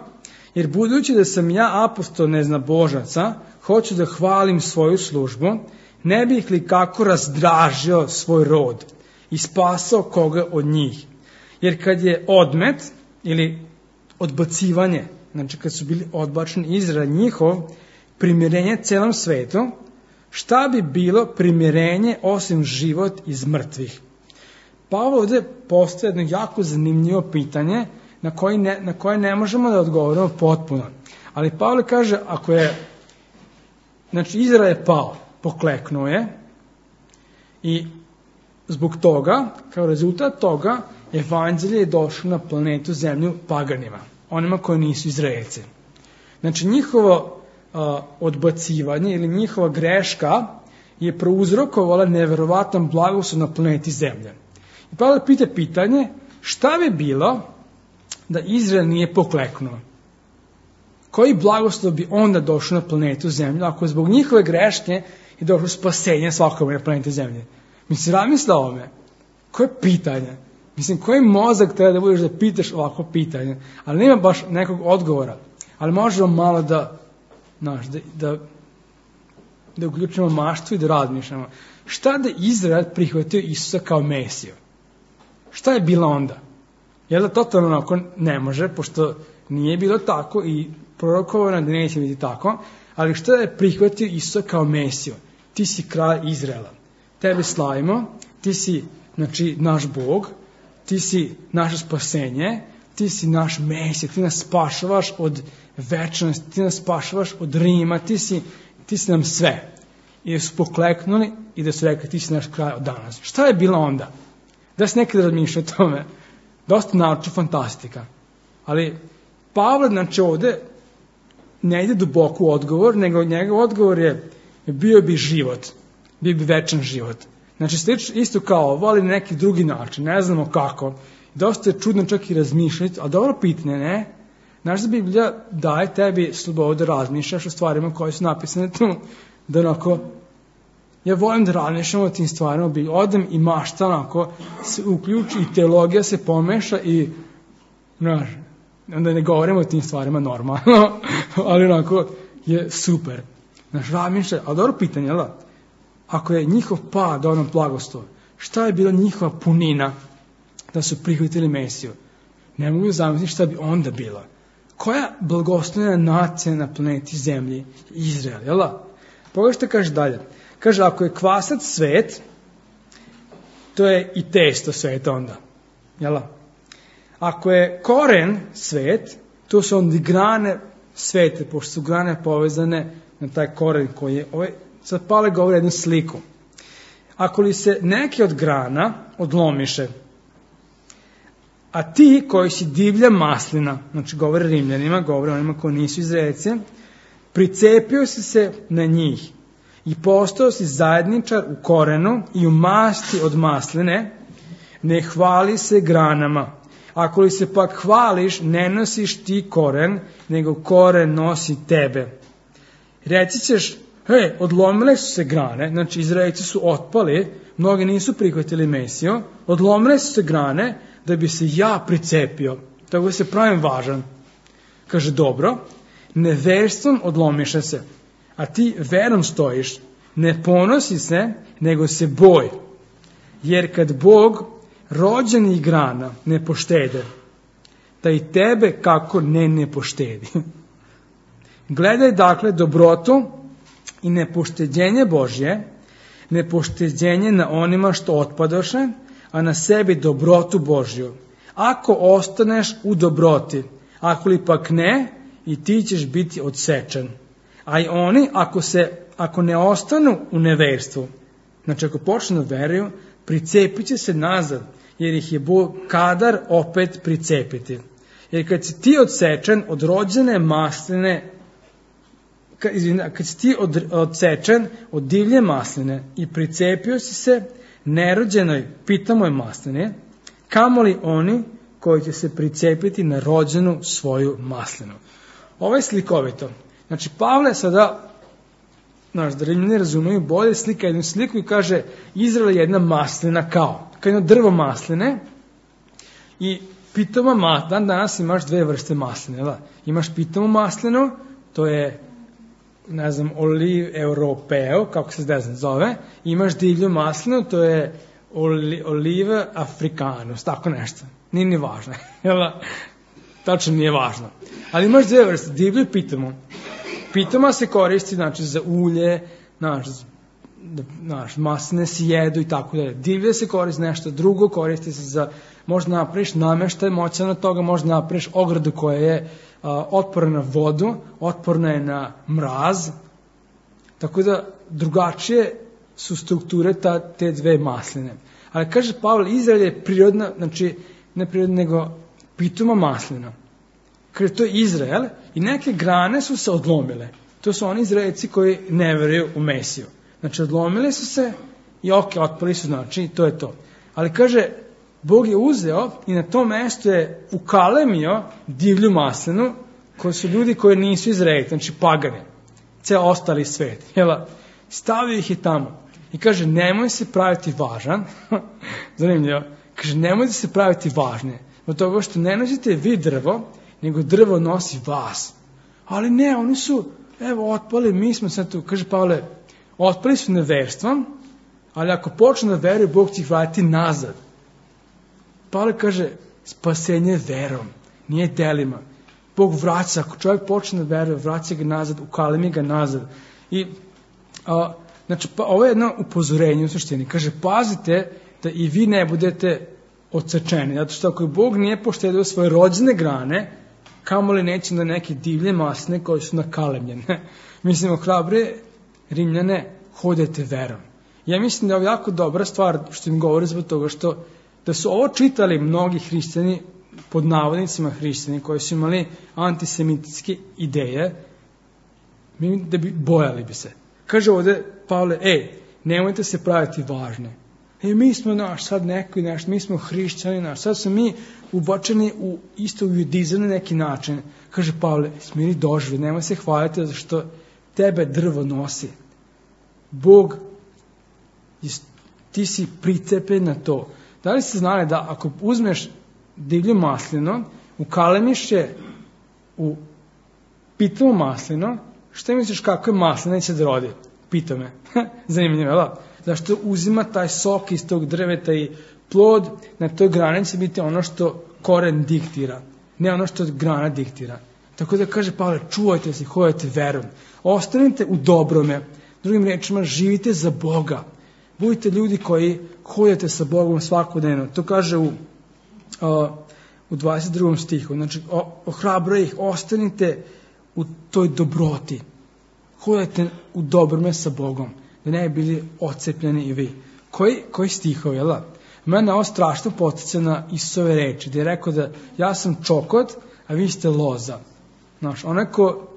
S1: jer budući da sam ja apostol neznabožaca, hoću da hvalim svoju službu, ne bih li kako razdražio svoj rod i spasao koga od njih. Jer kad je odmet ili odbacivanje, znači kad su bili odbačeni Izrael njihov, primirenje celom svetu, šta bi bilo primirenje osim život iz mrtvih? Pavle ovdje postoje jedno jako zanimljivo pitanje na koje ne, na koje ne možemo da odgovorimo potpuno. Ali Pavle kaže, ako je, znači Izrael je pao, pokleknuo je i zbog toga, kao rezultat toga, evanđelje je došlo na planetu zemlju paganima, onima koji nisu Izraelci. Znači njihovo a, odbacivanje ili njihova greška je prouzrokovala neverovatan blagoslov na planeti zemlje. I Pavle pita pitanje, šta bi bilo da Izrael nije pokleknuo? Koji blagoslov bi onda došao na planetu zemlju ako zbog njihove greške je došlo spasenje svakome na planeti zemlje? Mi se razmisla o ovome. Koje pitanje? Mislim, koji mozak treba da budeš da pitaš ovako pitanje? Ali nema baš nekog odgovora. Ali možemo malo da, znaš, da, da, da uključimo maštvu i da razmišljamo. Šta da Izrael prihvatio Isusa kao Mesiju? Šta je bilo onda? Jel da totalno onako ne može, pošto nije bilo tako i prorokovano da neće biti tako, ali šta je prihvatio Isusa kao Mesiju? Ti si kralj Izraela. Tebe slavimo, ti si, znači, naš Bog, ti si naše spasenje, ti si naš Mesija, ti nas spašavaš od večnosti, ti nas spašavaš od Rima, ti si, ti si nam sve. I da su pokleknuli i da su rekli, ti si naš kralj od danas. Šta je bilo onda? Da se nekada razmišlja o tome. Dosta naučna fantastika. Ali Pavle, znači, ovde ne ide duboko u odgovor, nego njegov odgovor je bio bi život, bio bi večan život. Znači, slično isto kao ovo, ali na neki drugi način, ne znamo kako. Dosta je čudno čak i razmišljati, a dobro pitanje, ne? Znaš da Biblija daje tebi slobodu da razmišljaš o stvarima koje su napisane tu, da onako, ja volim da razmišljam o tim stvarima, bi odem i mašta onako, se uključi i teologija se pomeša i, znaš, onda ne govorimo o tim stvarima normalno, ali onako je super. Znaš, razmišlja, ali dobro pitanje, jel da? Ako je njihov pad onom blagoslov, šta je bila njihova punina da su prihvatili Mesiju? Ne mogu zamisliti šta bi onda bila. Koja blagoslovljena nacija na planeti Zemlji? Izrael, jel da? Pogledaj što kaže dalje. Kaže, ako je kvasac svet, to je i testo svet onda. Jel da? Ako je koren svet, to su onda grane svete, pošto su grane povezane na taj koren koji je... Ovaj, sad Pavle govori jednu sliku. Ako li se neke od grana odlomiše, a ti koji si divlja maslina, znači govore Rimljanima, govore onima koji nisu Izraelci, pricepio si se na njih i postao si zajedničar u korenu i u masti od masline, ne hvali se granama. Ako li se pak hvališ, ne nosiš ti koren, nego koren nosi tebe. Reci ćeš, hej, odlomile su se grane, znači Izraelci su otpali, mnogi nisu prihvatili Mesiju, odlomile su se grane da bi se ja pricepio, tako da se pravim važan. Kaže, dobro, neverstvom odlomiše se, a ti verom stojiš, ne ponosi se, nego se boj, jer kad Bog rođenih grana ne poštede, da i tebe kako ne ne poštedi. Gledaj dakle dobrotu i nepošteđenje Božje, nepošteđenje na onima što otpadoše, a na sebi dobrotu Božju. Ako ostaneš u dobroti, ako li pak ne, i ti ćeš biti odsečen. A i oni, ako, se, ako ne ostanu u neverstvu, znači ako počnu da veruju, pricepit će se nazad, jer ih je Bog kadar opet pricepiti. Jer kad si ti odsečen od rođene masline, kad si ti od, odsečen od divlje masline i pricepio si se nerođenoj pitamoj masline, kamoli oni koji će se pricepiti na rođenu svoju maslinu. Ovo je slikovito. Znači, Pavle sada, znaš, da Rimljani razumiju bolje, slika jednu sliku i kaže, Izrael je jedna maslina kao, kao jedno drvo masline i pitoma maslina, dan danas imaš dve vrste masline, da? Imaš pitomu maslinu, to je, ne znam, oliv europeo, kako se ne znam zove, imaš divlju maslinu, to je oli, oliva africanus, tako nešto, nije ni važno, jel da? Tačno nije važno. Ali imaš dve vrste, divlju i pitomu. Pitoma se koristi, znači, za ulje, znaš, znaš, masline se jedu i tako dalje. Divlje se koristi nešto drugo, koristi se za, možda napraviš nameštaj, moćan od toga, možda napraviš ogradu koja je a, otporna na vodu, otporna je na mraz, tako da drugačije su strukture ta, te dve masline. Ali kaže Pavle, Izrael je prirodna, znači, ne prirodna, nego pitoma maslina. Kaže, to je Izrael i neke grane su se odlomile. To su oni Izraelci koji ne veruju u Mesiju. Znači, odlomile su se i ok, otpali su, znači, to je to. Ali kaže, Bog je uzeo i na tom mestu je ukalemio divlju maslinu, koji su ljudi koji nisu Izraelci, znači pagani, ceo ostali svet. Jela, stavio ih je tamo i kaže, nemoj se praviti važan, zanimljivo, kaže, nemojte se praviti važne, od toga što ne nosite vi drvo, nego drvo nosi vas. Ali ne, oni su, evo, otpali, mi smo sad tu, kaže Pavle, otpali su neverstvom, ali ako počne da veruje, Bog će ih vratiti nazad. Pavle kaže, spasenje verom, nije delima. Bog vraća, ako čovjek počne da veruje, vraća ga nazad, ukalemi ga nazad. I, a, znači, pa, ovo je jedno upozorenje u suštini. Kaže, pazite da i vi ne budete odsečeni. Zato što ako Bog nije poštedio svoje rođene grane, kamoli neće da neke divlje masne koje su nakalemljene. Mislim, ohrabre Rimljane, hodajte verom. Ja mislim da je ovo jako dobra stvar što im govori zbog toga što da su ovo čitali mnogi hrišćani, pod navodnicima hrišćani, koji su imali antisemitske ideje, da bi bojali bi se. Kaže ovde Pavle, ej, nemojte se praviti važne. E, mi smo naš, sad neko i naš, mi smo hrišćani naš, sad smo mi ubačeni u isto u judizam na neki način. Kaže Pavle, smiri doživi, nemoj se hvaliti zato što tebe drvo nosi. Bog, ti si pricepen na to. Da li ste znali da ako uzmeš divlju maslino, ukalemiš je u pitomo maslino, šta misliš kako je maslina će da rodi? Pita me. Zanimljivo, je da? Zašto uzima taj sok iz tog drveta i plod na toj grani će biti ono što koren diktira, ne ono što grana diktira. Tako da kaže Pavle, čuvajte se, hodajte verom. Ostanite u dobrome. Drugim rečima, živite za Boga. Budite ljudi koji hodate sa Bogom svakodnevno. To kaže u, uh, u dvadeset drugom stihu. Znači, ohrabra ih, ostanite u toj dobroti. Hodajte u dobrome sa Bogom. Da ne bi bili odcepljeni i vi. Koji, koji stihovi, jel da? Mene ovo strašno podsjeća na Isusove reči, gdje je rekao da ja sam čokot, a vi ste loza. Znaš, onaj ko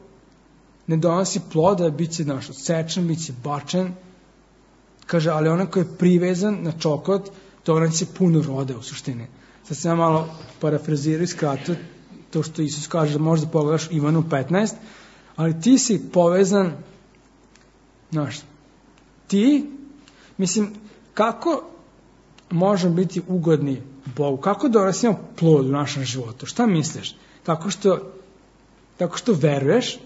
S1: ne donosi ploda, bit će, znaš, odsečen, bit će bačen. Kaže, ali onaj ko je privezan na čokot, to će puno rode u suštini. Sad sam ja malo parafrazirao i skratio to što Isus kaže, da možda pogledaš Ivanu petnaest, ali ti si povezan, znaš, ti, mislim, kako možemo biti ugodni Bogu? Kako donosimo plod u našem životu? Šta misliš? Tako što, tako što veruješ,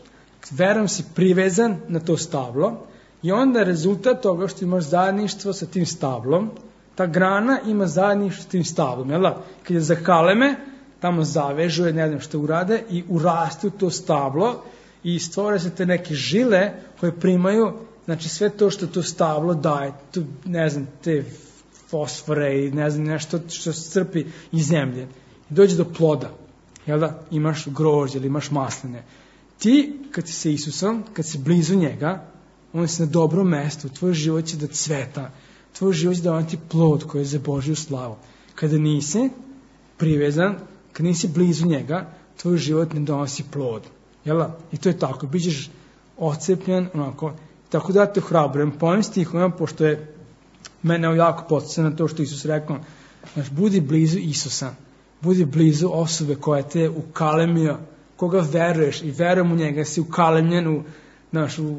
S1: verom si privezan na to stablo i onda rezultat toga što imaš zajedništvo sa tim stablom, ta grana ima zajedništvo s tim stablom, jel da? Kad je zakaleme, tamo zavežuje, ne znam što urade i uraste u to stablo i stvore se te neke žile koje primaju, znači sve to što to stablo daje, tu, ne znam, te fosfore i ne znam, nešto što se crpi iz zemlje. I dođe do ploda, jel da? Imaš grožđe ili imaš masline. Ti, kad si sa Isusom, kad si blizu njega, on si na dobrom mestu, tvoj život će da cveta, tvoj život će da on ti plod koji je za Božju slavu. Kada nisi privezan, kad nisi blizu njega, tvoj život ne donosi plod. Jel da? I to je tako, bićeš odcepljen, onako. Tako da te ohrabrujem, po ovim stihom, pošto je mene jako podsjeća na to što Isus rekao, znaš, budi blizu Isusa, budi blizu osobe koja te ukalemio, koga veruješ i verujem u njega, si ukalemljen u, znaš, u,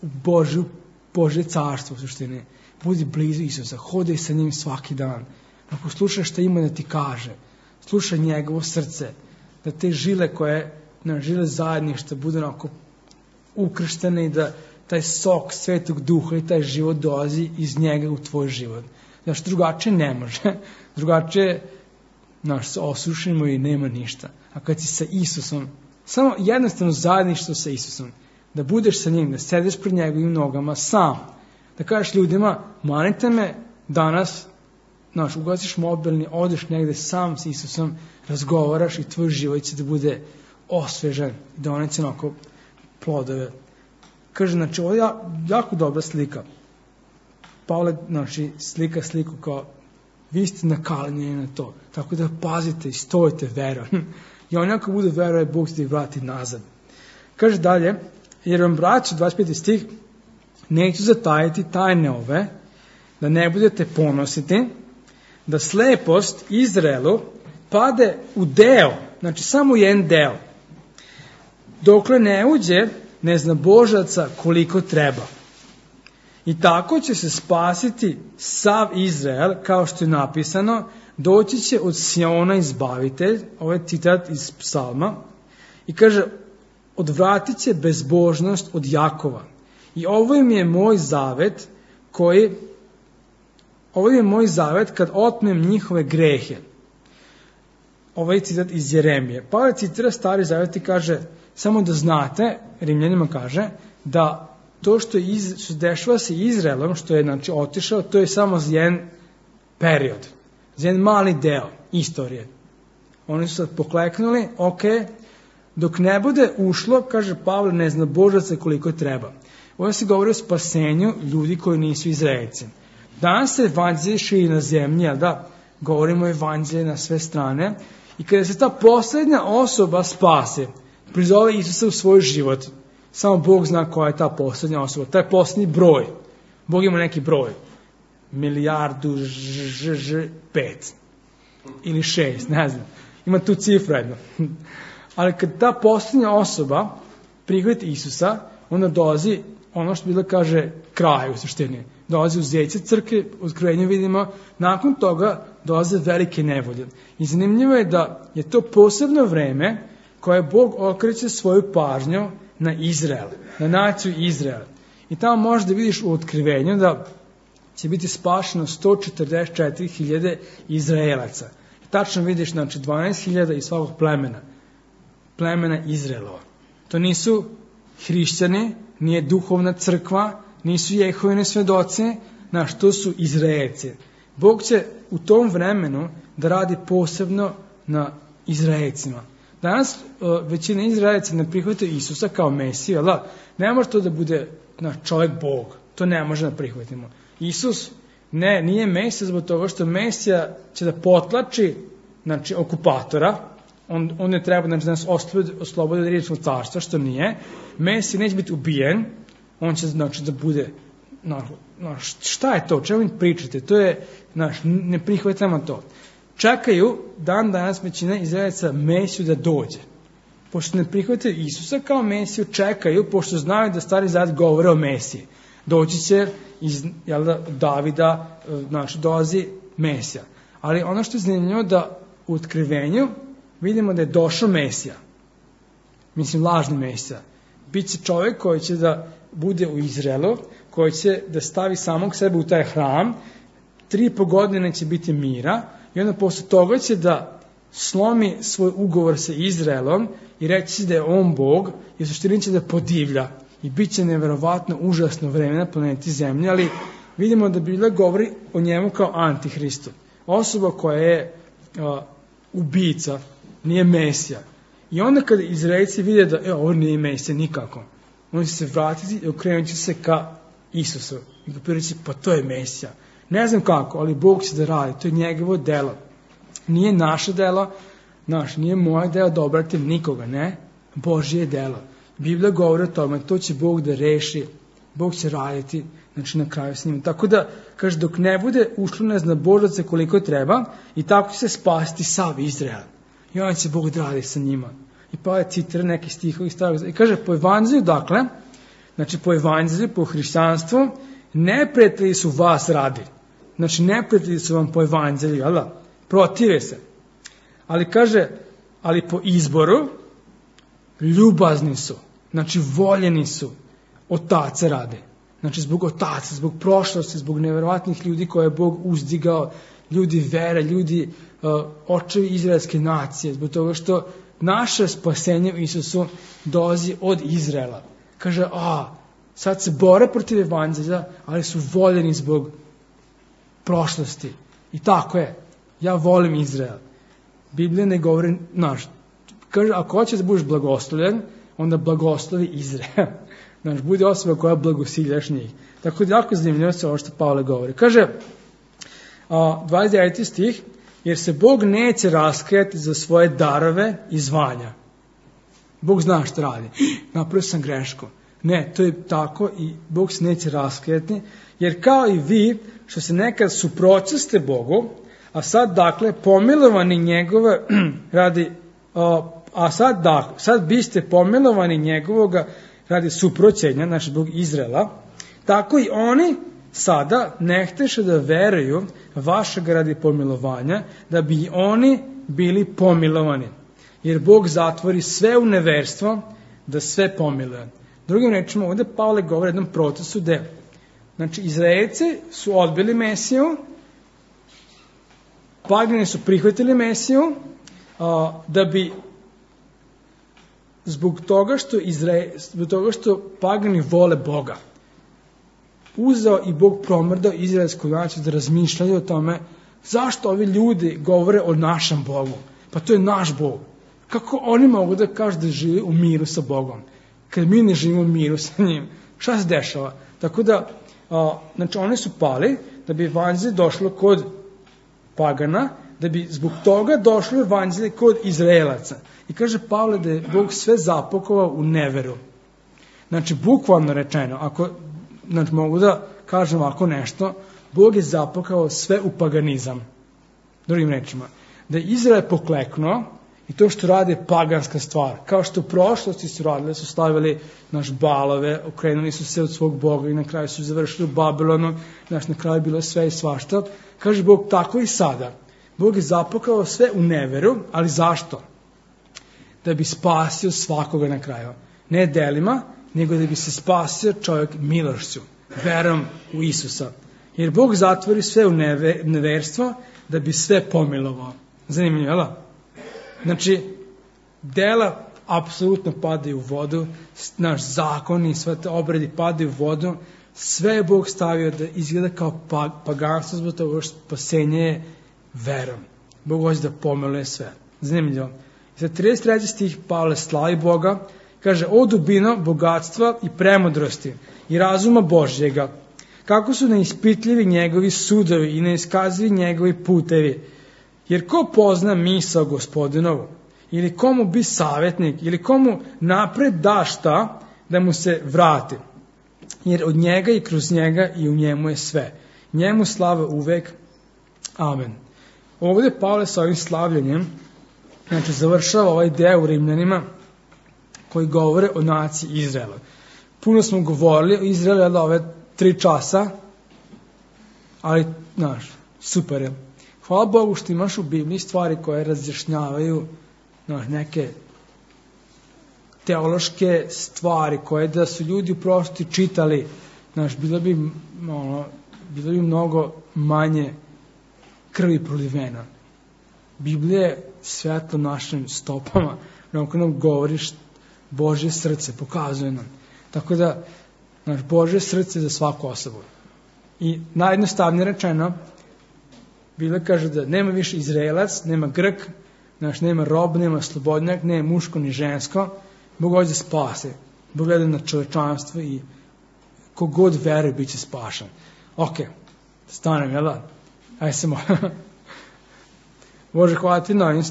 S1: u Božju, Božje carstvo u suštini. Budi blizu Isusa, hodaj sa njim svaki dan. Ako slušaš šta ima da ti kaže, slušaj njegovo srce, da te žile koje, na žile zajedništva bude onako ukrštene i da taj sok Svetog Duha i taj život dolazi iz njega u tvoj život. Znaš, drugačije ne može. Drugačije, znaš, se osušimo i nema ništa. A kad si sa Isusom, samo jednostavno zajedništvo sa Isusom, da budeš sa njim, da sediš pred njegovim nogama sam, da kažeš ljudima, manite me danas, znaš, ugasiš mobilni, odeš negde sam s Isusom, razgovaraš i tvoj život će da bude osvežan, da doneće onako plodove. Kaže, znači, ovo je jako dobra slika. Pavle, znači, slika sliku kao, vi ste nakaljeni na to. Tako da pazite i stojite verom. I on ako bude veruje, Bog će ih vrati nazad. Kaže dalje, jer vam braću, dvadeset peti stih, neću zatajiti tajne ove, da ne budete ponositi, da slepost Izraelu pade u deo, znači samo jedan deo, dokle ne uđe neznabožaca koliko treba. I tako će se spasiti sav Izrael, kao što je napisano, doći će od Siona izbavitelj, ovo je citat iz psalma, i kaže, odvratit će bezbožnost od Jakova. I ovo im je moj zavet koji, ovo je moj zavet kad otmem njihove grehe. Ovo je citat iz Jeremije. Pavle citira Stari zavet i kaže, samo da znate, Rimljanima kaže, da to što, iz, što dešava se Izraelom, što je znači, otišao, to je samo za jedan period, za jedan mali deo istorije. Oni su sad pokleknuli, ok, dok ne bude ušlo, kaže Pavle, ne zna Božaca koliko treba. Ovo se govori o spasenju ljudi koji nisu Izraelci. Danas se evanđelje širi na zemlji, ali da, govorimo o evanđelje na sve strane, i kada se ta poslednja osoba spase, prizove Isusa u svoj život, samo Bog zna koja je ta poslednja osoba, taj poslednji broj. Bog ima neki broj, milijardu, ž, ž, pet, ili šest, ne znam, ima tu cifru jedno. Ali kad ta poslednja osoba prihvati Isusa, onda dolazi ono što Biblia kaže kraj u suštini. Dolazi uzeće crkve, u Otkrivenju vidimo, nakon toga dolaze velike nevolje. I zanimljivo je da je to posebno vreme koje Bog okreće svoju pažnju na Izrael, na naciju Izrael. I tamo možeš da vidiš u Otkrivenju da će biti spašeno sto četrdeset četiri hiljade Izraelaca. I tačno vidiš, znači, dvanaest hiljada iz svakog plemena. Plemena Izraelova. To nisu hrišćani, nije duhovna crkva, nisu Jehovine svedoci, znaš, to su Izraelci. Bog će u tom vremenu da radi posebno na Izraelcima. Danas uh, većina Izraelca ne prihvata Isusa kao Mesiju, ali ne može to da bude na čovjek Bog. To ne može da prihvatimo. Isus ne, nije Mesija zbog toga što Mesija će da potlači, znači, okupatora. On, on ne treba, znači, da nas oslobodi, oslobodi od rimskog carstva, što nije. Mesija neće biti ubijen. On će, znači, da bude, no, no, šta je to, o čemu im pričate? To je, znaš, ne prihvatamo to. Čekaju dan danas većina Izraelaca Mesiju da dođe. Pošto ne prihvataju Isusa kao Mesiju, čekaju, pošto znaju da Stari zavet govore o Mesiji. Doći će iz, jel da, Davida, znači, dolazi Mesija. Ali ono što je zanimljivo da u Otkrivenju vidimo da je došao Mesija. Mislim, lažni Mesija. Biće čovjek koji će da bude u Izraelu, koji će da stavi samog sebe u taj hram, tri i po godine će biti mira, i onda posle toga će da slomi svoj ugovor sa Izraelom i reći da je on Bog, i u suštini će da podivlja. I bit će neverovatno užasno vreme na planeti Zemlji, ali vidimo da Biblija govori o njemu kao antihristu. Osoba koja je a, ubica, nije Mesija. I onda kada Izraelci vide da e, ovo nije Mesija nikako, oni će se vratiti i okrenut će se ka Isusu. I ga reći, pa to je Mesija. Ne znam kako, ali Bog će da radi, to je njegovo delo. Nije naše delo, naš, nije moje delo da obratim nikoga, ne, Božje delo. Biblija govori o tome, to će Bog da reši, Bog će raditi, znači na kraju s njim. Tako da, kaže, dok ne bude ušlo ne zna Božaca koliko treba, i tako će se spasti sav Izrael. I onda će Bog da radi sa njima. I pa je citira neki stihovi starog. I kaže, po evanđelju, dakle, znači po evanđelju, po hrišćanstvu, neprijatelji su vas radi. Znači, neprijatelji su vam po evanđelju, jel da? Protive se. Ali kaže, ali po izboru, ljubazni su. Znači, voljeni su. Otace rade. Znači, zbog otaca, zbog prošlosti, zbog neverovatnih ljudi koje je Bog uzdigao, ljudi vere, ljudi uh, očevi izraelske nacije, zbog toga što naše spasenje u Isusu dolazi od Izraela. Kaže, a, sad se bore protiv evanđelja, ali su voljeni zbog prošlosti. I tako je. Ja volim Izrael. Biblija ne govori, znaš, kaže, ako hoćeš da budeš blagoslovljen, onda blagoslovi Izrael. Znaš, budi osoba koja blagosiljaš njih. Tako da jako zanimljivo se ovo što Pavle govori. Kaže, a, dvadeset deveti stih, jer se Bog neće raskajati za svoje darove i zvanja. Bog zna što radi. Napravio sam grešku. Ne, to je tako i Bog se neće raskajati, jer kao i vi, što se nekad suprotstaste Bogu, a sad, dakle, pomilovani njegove radi, a, a sad, dakle, sad biste pomilovani njegovoga radi suproćenja, znači zbog Izraela, Tako i oni sada ne hteše da veruju vašeg radi pomilovanja, da bi oni bili pomilovani. Jer Bog zatvori sve u neverstvo, da sve pomiluje. Drugim rečima, ovde Pavle govori o jednom procesu gde, znači, Izraelci su odbili Mesiju, pagani su prihvatili Mesiju, a, da bi zbog toga što Izrael, zbog toga što pagani vole Boga, uzeo i Bog promrdao izraelsku naciju da razmišljaju o tome zašto ovi ljudi govore o našem Bogu. Pa to je naš Bog. Kako oni mogu da kažu da žive u miru sa Bogom, kad mi ne živimo u miru sa njim? Šta se dešava? Tako da, a, znači, oni su pali da bi evanđelje došlo kod pagana, da bi zbog toga došlo evanđelje kod Izraelaca. I kaže Pavle da je Bog sve zapakovao u neveru. Znači, bukvalno rečeno, ako, znači, mogu da kažem ovako nešto, Bog je zapakao sve u paganizam. Drugim rečima, da je Izrael pokleknuo i to što rade je paganska stvar. Kao što u prošlosti su radili, su stavili naš balove, okrenuli su se od svog Boga i na kraju su završili u Babilonu, znaš, na kraju bilo sve i svašta. Kaže Bog, tako i sada. Bog je zapakao sve u neveru, ali zašto? Da bi spasio svakoga na kraju. Ne delima, nego da bi se spasio čovjek milošću, verom u Isusa. Jer Bog zatvori sve u neve, neverstvo da bi sve pomilovao. Zanimljivo, jel? Znači, dela apsolutno padaju u vodu, naš zakon i sve te obredi padaju u vodu, sve je Bog stavio da izgleda kao paganstvo, zbog toga što spasenje je verom. Bog hoće da pomiluje sve. Zanimljivo. Za trideset treći stih Pavle slavi Boga, kaže, o dubino bogatstva i premudrosti i razuma Božjega, kako su neispitljivi njegovi sudovi i neiskazivi njegovi putevi. Jer ko pozna misao Gospodinovu, ili komu bi savjetnik, ili komu napred da šta da mu se vrati. Jer od njega i kroz njega i u njemu je sve. Njemu slava uvek. Amen. Ovdje Pavle sa ovim slavljanjem, znači, završava ovaj deo u Rimljanima koji govore o naciji Izraela. Puno smo govorili o Izraelu ove tri časa, ali, znaš, super je. Hvala Bogu što imaš u Bibliji stvari koje razjašnjavaju, znaš, neke teološke stvari koje da su ljudi u prošlosti čitali, znaš, bilo bi, ono, bilo bi mnogo manje krvi prolivena. Biblija je svetlo našim stopama, onako nam govoriš Božje srce, pokazuje nam. Tako da, znaš, Božje srce za svaku osobu. I najjednostavnije rečeno, Biblia kaže da nema više Izraelac, nema Grk, znaš, nema rob, nema slobodnjak, nema muško ni žensko. Bog hoće da spase. Bog gleda na čovečanstvo i kogod veruje bit će spašan. Ok, stanem, jel da? Ajde se molim. Bože, hvala ti na ovim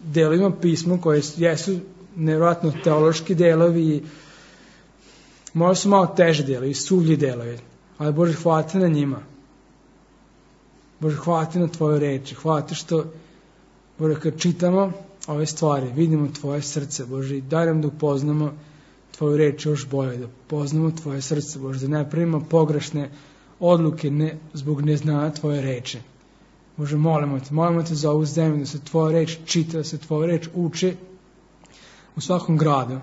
S1: delovima pisma koje jesu nevjerojatno teološki delovi i možda su malo teže delovi, suvlji delovi. Ali Bože, hvala ti na njima. Bože, hvala ti na tvoje reči. Hvala ti što, Bože, kad čitamo ove stvari, vidimo tvoje srce, Bože, i daj nam da upoznamo tvoju reč još bolje, da poznamo tvoje srce, Bože, da ne pravimo pogrešne odluke ne, zbog neznanja tvoje reči. Bože, molimo te, molimo te za ovu zemlju, da se tvoja reč čita, da se tvoja reč uči u svakom gradu,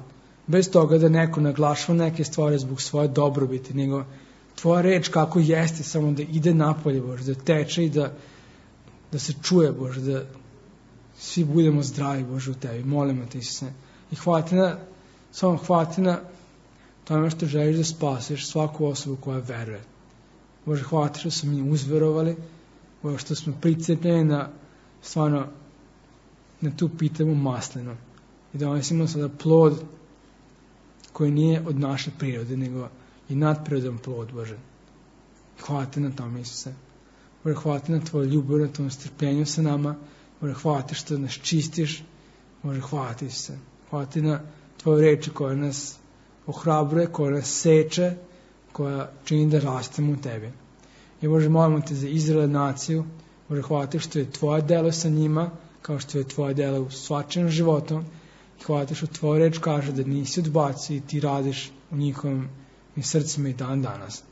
S1: bez toga da neko naglašava neke stvari zbog svoje dobrobiti, nego tvoja reč kako jeste, samo da ide napolje, Bože, da teče i da, da se čuje, Bože, da svi budemo zdravi, Bože, u tebi. Molimo te, Isuse. I hvala ti na, samo hvala ti na tome što želiš da spasiš svaku osobu koja veruje. Bože, hvala ti što smo mi uzverovali, Bože, što smo pricepljeni na, stvarno, na tu pitemu maslinu. I da donesimo sada plod koji nije od naše prirode, nego i nadprirodan plod, Bože. Hvala ti na tome, Isuse. Bože, hvala ti na tvoju ljubav, na tvom strpljenju sa nama. Bože, hvala ti što nas čistiš. Bože, hvala ti, Isuse. Hvala ti na tvoju reči koja nas ohrabruje, koja nas seče, koja čini da rastemo u tebi. I Bože, molimo te za Izrael naciju. Bože, hvala ti što je tvoje delo sa njima, kao što je tvoje delo u svačajem životu. I hvala ti što tvoja reč kaže da nisi odbacio i ti radiš u njihovim i srcima i dan danas.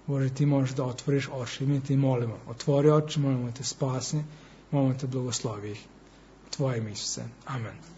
S1: Bože, ti možeš da otvoriš oči i mi ti molimo. Otvori oči, molimo te spasni, molimo te blagoslovi ih. Tvoje ime, Isuse. Amen.